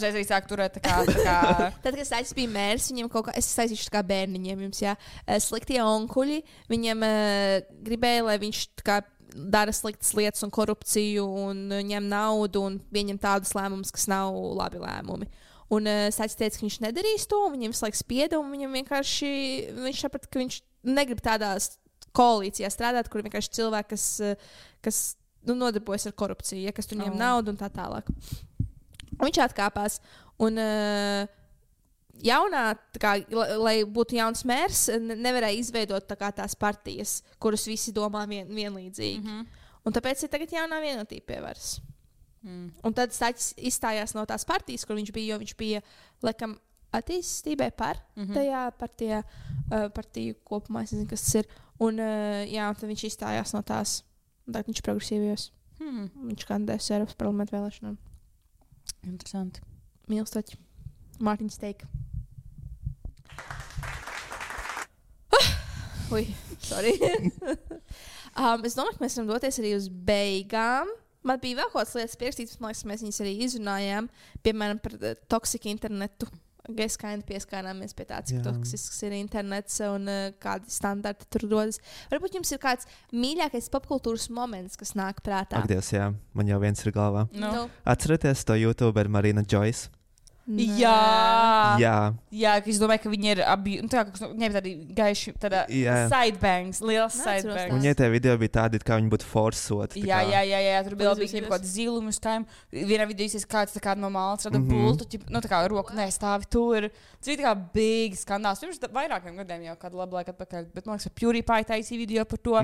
Tad,
kad Staķis bija mērs, viņiem kaut kā... Es saistīšu tā kā bērniņiem jums, jā. Sliktie onkuļi, viņiem gribēja, lai viņš tā kā dara sliktas lietas un korupciju un ņem naudu un pieņem tādas lēmumus, kas nav labi lēmumi. Un Staķis teica, ka viņš nedarīs to, un viņiem visu laiku spieda, un viņam vienkārši... Viņš saprata, ka viņš negrib tādās koalīcijā strādāt, kur vienkārši cilvēki, kas nodarbojas ar korupciju, kas tur ņem naudu un tā tālāk. Un viņš atkāpās. Un jaunā, kā, lai būtu jauns mērs, nevarēja izveidot tās partijas, kuras visi domā vienlīdzīgi. Un tāpēc ir tagad jaunā vienotība pie varas. Un tad Staķis izstājās no tās partijas, kur viņš bija, jo viņš bija, laikam, attīstībai par tajā partiju kopumā, es nezinu, kas tas ir. Un tad viņš izstājās no tās. Tagad viņš ir progresīvajos. Viņš kandidēs Eiropas parlamentu vēlēšanām.
Interesanti.
Mīlu Staķi. Mārtiņš teika. Sorry. Es domāju, ka mēs varam doties arī uz beigām. Man bija vēl kaut kādas lietas pierakstītas, man liekas, mēs viņas arī izrunājām. Piemēram, par toksiku internetu. Gaiskaini pieskārāmies pie tā, cik toksisks ir internets un kādi standarti tur rodas. Varbūt jums ir kāds mīļākais popkultūras moments, kas nāk prātā.
Ak, Dievs, jā, man jau viens ir galvā.
No.
Atcerieties to YouTuberu Marina Joyce?
Jā, es domāju, ka viņi ir abi. Viņai bija tādi gaiši, sidebangs, liels sidebangs.
Viņai tie video bija tādi, kā viņi būtu forsoti.
Jā, tur bija kaut kāda ziluma uz tām. Vienā video izsīs kāds no malas rada bultu, tā kā roku nestāvi tur. Tas bija tā kā big skandāls. Pirms vairākiem gadiem jau kādu labu laiku atpakaļ. Bet man liekas, ka PewDiePie taisīja video par to.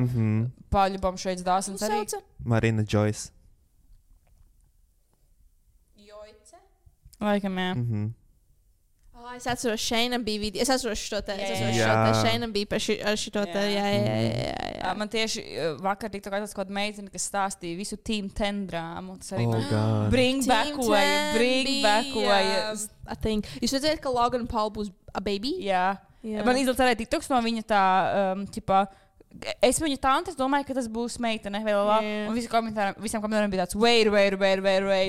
Paļubam šeit dāsans arī.
Marina Joyce.
Laikam, jā.
Es atceros, Šeinam bija video. Es atceros šo te. Šeinam bija par šo te. Jā.
Man tieši vakar tika kaut kāda meitene, kas stāstīja visu Team 10 drāmu. Tas arī bring backoja.
Jūs redzējāt, ka Logan Paul būs a baby?
Jā. Man izlaiž arī TikToks no viņa tā, es viņu tantes domāju, ka tas būs meitene. Un visiem komentāriem bija tāds wait.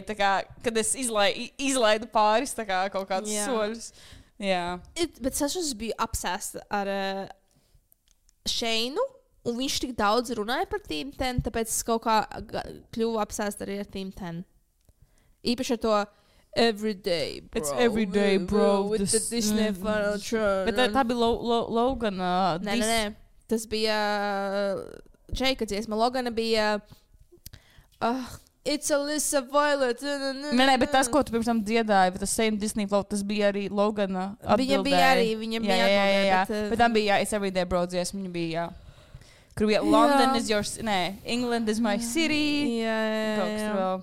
Tā kā, kad es izlaidu pāris tā kā kaut kādus soļus. Jā.
Bet es biju apsēsta ar Šeinu, un viņš tik daudz runāja par Team 10, tāpēc es kaut kā kļuvu apsēsta arī ar Team 10. Īpaši ar to everyday, bro.
It's everyday, bro.
With the Disney Final Tron.
Bet tā bija Logan.
Nē. Tas bija Džeika dziesma. Logana bija It's Alyssa Violet.
Nē, bet tas, ko tu pirms tam dziedāji, tas same Disney flow, tas bija arī Logana atbildēji.
Viņam bija arī.
Jā. Bet tam bija, It's Everyday, bro, dziesma. Viņa bija, kur bija London is your... Nē, England is my city.
Jā.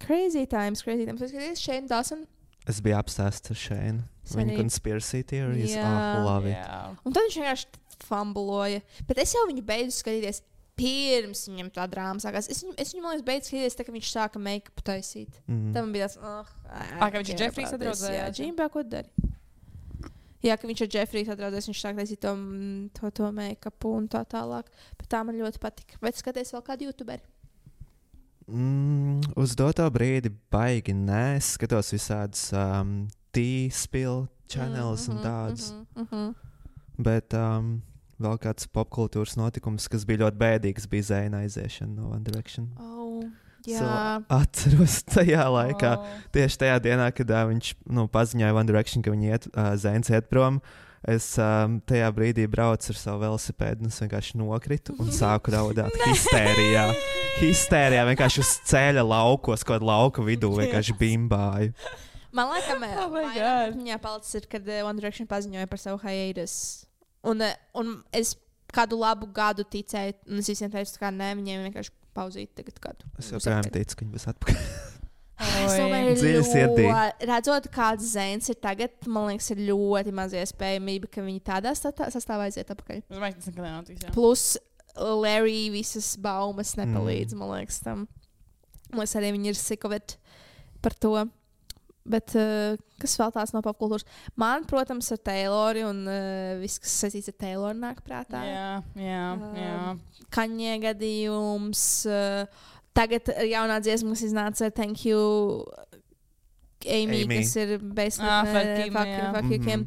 Crazy times. Es Shane Dawson.
Es biju apsēsts ar Shane. Viņa conspiracy theories. Love it.
Un tad viņš vienkārši fambuloja. Bet es jau viņu beidzu skatīties pirms viņam tā drāma sākās. Es viņu, man liekas, beidzu skatīties, tā, ka viņš sāka make-up taisīt. Tad man bija tāds,
ka viņš ar Jeffrey sadraudzējās.
Jā, Džīmbā, ko dari? Jā, ka viņš ar Jeffrey sadraudzējās, viņš sāk taisīt to make-upu un tā tālāk. Bet tā man ļoti patika. Bet skaties vēl kādu YouTuberi?
Uz doto brīdi baigi nē. Es skatos visādas T-spill channels un tādas. Bet vēl kāds popkultūras notikums, kas bija ļoti bēdīgs, bija Zaina aiziešana no One Direction. Atceros tajā laikā, tieši tajā dienā, kad viņš paziņoja One Direction, ka Zains iet prom. Es tajā brīdī braucu ar savu velosipēdu, un es vienkārši nokritu un sāku raudāt histērijā, vienkārši uz ceļa laukos, kaut kādā lauka vidū vienkārši bimbāju.
Man liekas, viņā palicis ir, kad One Direction paziņoja par savu hiatus. Un es kādu labu gadu ticēju, un es visiem teicu, ka nē, viņiem vienkārši pauzīt tagad kādu.
Es joprojām ticu, ka viņi būs atpakaļ.
Es domāju, redzot, kāds Zains ir tagad, man liekas, ir ļoti maz iespējamība, ka viņi tādā sastāvā aiziet atpakaļ.
Es domāju, ka tas nekad nenotiks, jā.
Plus Larry visas baumas nepalīdz, man liekas, tam. Man liekas, arī viņi ir sick of it par to. Bet kas vēl tās no popkultūras? Man, protams, ar Tayloru un viss, kas saistīts ar Tayloru, nāk prātā.
Jā.
Kanye gadījums. Tagad jaunā dziesma, kas iznāca Thank You, Amy. Kas ir Fuck You Kim.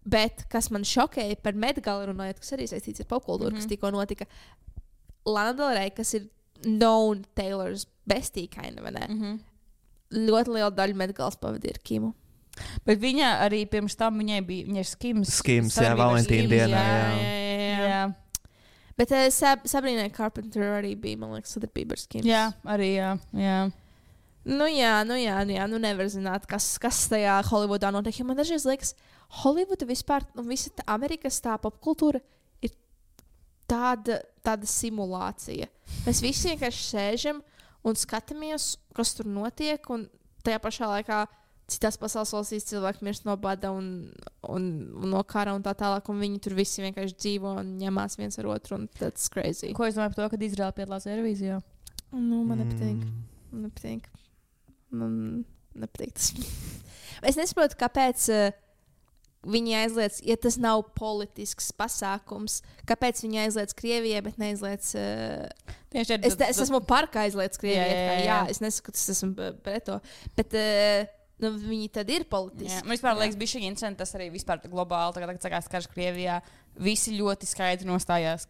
Bet kas man šokēja par Met-Gala runājot, kas arī saistīts ar popkultūru, kas tikko notika. Lana Del Rey, kas ir known Taylor's bestie, vai ne? Ļoti liela daļa Met-Galas pavadīja ar Kimu.
Bet viņa arī pirms tam viņai ir Skims.
Skims, jā, Valentīna dienā.
Jā.
Bet Sabrīnai Carpenter arī bija, man liekas, sadarbība ar Skims.
Jā, arī jā.
Nu nevar zināt, kas tajā Holivudā notiek. Jo man dažreiz liekas, Holivuda vispār, un visa Amerikas tā popkultūra ir tāda simulācija. Mēs visi vienkārši sēžam un skatāmies, kas tur notiek, un tajā pašā laikā citās pasaules valstīs cilvēki mirst no bada un no kara un tā tālāk, un viņi tur visi vienkārši dzīvo un ņemās viens ar otru, un that's crazy.
Ko es domāju par to, kad Izraela piedalās Eirovīzijā?
Man nepatīk. Man nepatīk tas. Es nesaprotu, kāpēc viņi aizliedz, ja tas nav politisks pasākums, kāpēc viņi aizliedz Krievijai, bet neaizliedz. Es esmu par, ka aizliedz Krievijai. Jā, es nesaku, ka es esmu pret to. Bet viņi tad ir politiski.
Man vispār liekas, bija šī incidenta, tas arī vispār globāli, tagad sākās karš Krievijā. Visi ļoti skaidri nostājās,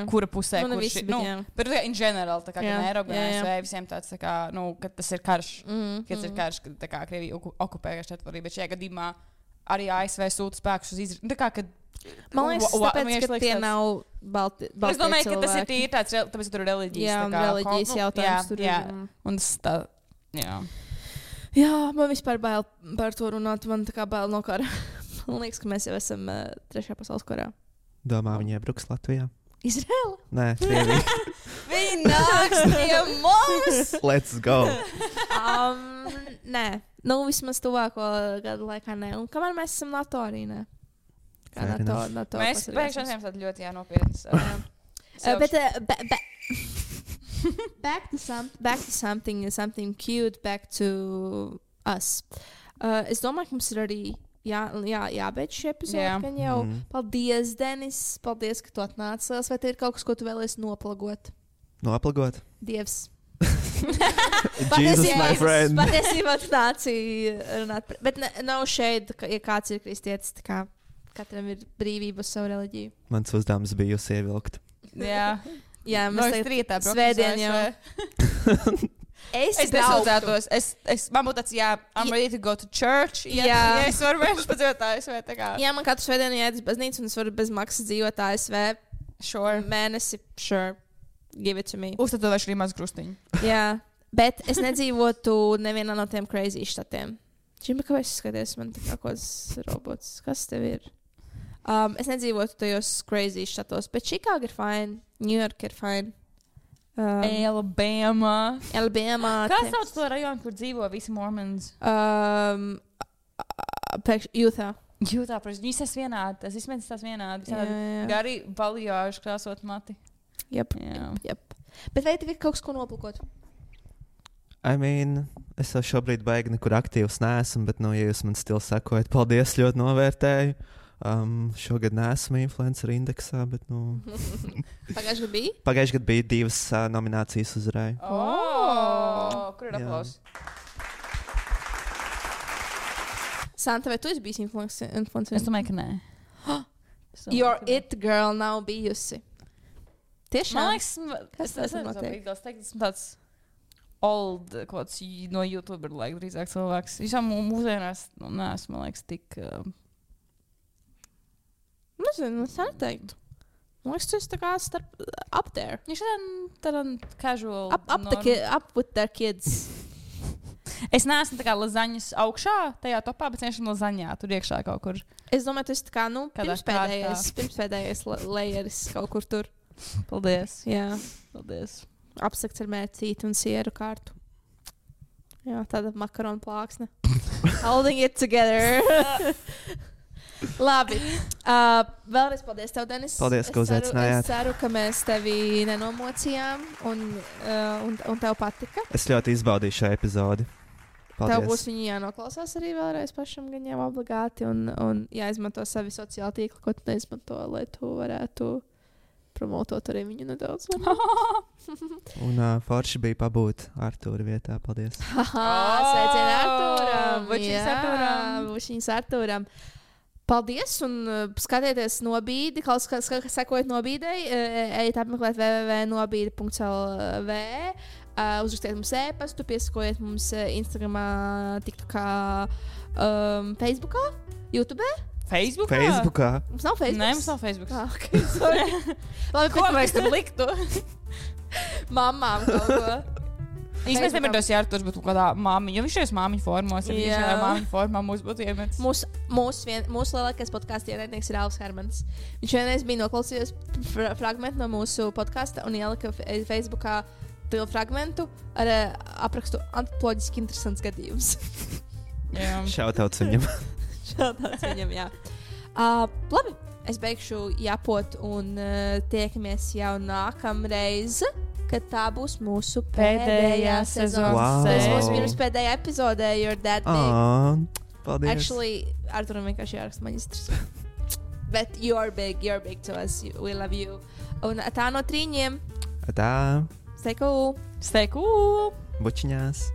kura pusē, kurš ir. Bet in general, tā kā Eiropa, ASV, visiem tāds, tā kā, ka tas ir karš. Kad tas ir karš, kad tā kā Krievija okupē teritoriju, bet šajā gadījumā arī ASV sūta spēkus uz Izraelu. Tā kā, kad
man liekas, tāpēc, ka tie nav balti cilvēki.
Es domāju, ka tas ir tīri tāds, tāpēc, ka tur ir
reliģijas jautājums.
Jā, un tas tā,
Jā, man vispār bail par to runāt. Man tā kā bail no kara. Man liekas, ka mēs jau esam trešajā pasaules karā.
Domā, viņi iebruks Latvijā?
Izraela?
Nē, Krievija.
Viņi nāks pie mums!
Let's go!
Nē, vismaz tuvāko gadu laikā nē. Un kamēr mēs esam NATO arī, nē. Kā NATO
mēs pēkšņi esam ļoti nopietnas.
Back to something cute, back to us. Es domāju, ka mums ir arī jābeidz šī epizode. Jau. Paldies, Denis. Paldies, ka tu atnāci. Vai te ir kaut kas, ko tu vēlies noplagot?
Noplagot?
Dievs.
Jesus, my friend.
Patiesībā tu nāci runāt. Bet nav šeit, ja kāds ir kristietis, tā kā katram ir brīvība uz savu reliģiju. Mans
uzdevums bija jūs ievilkt.
Jā,
mēs tagad
rītā svētdien jau. Es
nesūdzētos. Man būtu tāds, I'm ready to go to church. Jā, es varu vienkārši padzīvot ASV.
Jā, man katru svētdienu jāiet uz baznīcu, un es varu bez maksas dzīvot ASV.
Sure.
Mēnesi, sure. Give it to me.
Uztatovēšu arī maz krustiņu.
Jā, bet es nedzīvotu nevienā no tiem crazy štatiem. Čimba, kāpēc es skaties, man tā kā kāds robots. Kas tev ir? Es nedzīvotu tajos crazy štatos, bet Chicago ir fine, New York ir fine.
Alabama.
Kā
sauc to rajonu, kur dzīvo visi mormons?
Utah.
Protams, viņi esas vienādi. Tas vismaz tās vienādi. Gari baljāžu krāsot mati.
Jep. Bet vai tev ir kaut kas, ko noplakot?
Es jau šobrīd baigi nekur aktīvs neesmu, bet, ja jūs man stili sekojat, paldies, ļoti novērtēju. Šogad neesmu influencer indeksā, bet,
Pagājušajā gadā bija?
Pagājušajā gadā bija 2 nominācijas uzvarēju.
Kur ir aplausi?
Santa, vai tu esi bijis influencer?
Es domāju, ka nē.
Your it girl nav bijusi. Tiešām?
Man liekas, es esmu tāds old, kāds no YouTuber, drīzāk cilvēks. Visām mūsdienās neesmu, man liekas, tik...
Nezinu, es neteiktu. Man liekas, tu esi tā kā up there.
Viņš tādā casual...
Up with their kids.
Es neesmu tā kā lazaņas augšā tajā topā, bet vienkārši lazaņā tur iekšā kaut kur.
Es domāju, tu esi tā kā, pirmspēdējais layeris kaut kur tur.
Paldies.
Jā.
Paldies.
Apsakts ar mērcīti un sieru kārtu. Jā, tāda makaronu plāksne. Holding it together. Labi. Vēlreiz paldies tev, Denis.
Paldies, ka uzaicinājāt.
Es ceru, ka mēs tevi nenomocījām un tev patika.
Es ļoti izbaudīju šo epizodi. Paldies.
Tev būs viņi jānoklausās arī vēlreiz pašam, gan jau obligāti, un jāizmanto savi sociāli tīkli, ko tu neizmanto, lai tu varētu promotot arī viņu nedaudz.
Un forši bija pabūt Artūra vietā. Paldies.
Sveicieni Artūram. Bučiņas Artūram. Paldies, un skatieties nobīdi, sekojiet nobīdei, ejiet apmeklēt www.nobīdi.lv, uzrakstiet mums e-pastu, piesakojiet mums Instagramā, TikTokā, Facebookā, YouTube.
Facebookā?
Mums nav Facebook.
Nē, mums nav Facebook.
Okay, sorry. Labi,
ko mēs tam liktu?
Mamām kaut ko.
Īstenībā nevar tos Arturs, bet kādā māmiņa, jo viņš ir māmiņu formos, ja viņš ir māmiņu formā, mūs būtu iemets.
Mūsu lielākais podkāstu ienaidnieks ir Alfs Hermans. Viņš vienreiz bija noklausījies fragmentu no mūsu podkāsta un ielika Facebookā fragmentu ar aprakstu antropoloģiski interesants gadījums.
Šautauts viņam.
Šautauts viņam, jā. Labi, es beigšu japot un tiekamies jau nākamreiz. Kad tā būs mūsu pēdējā sezonas.
Wow.
Tas būs pirms pēdējā epizodē, You're That Big.
Paldies.
Actually, Arturam vienkārši jāraksta maģistrs. Bet you're big to us. We love you. Un tā no 3.
Tā.
Stay cool.
Stay cool.
Bučiņās.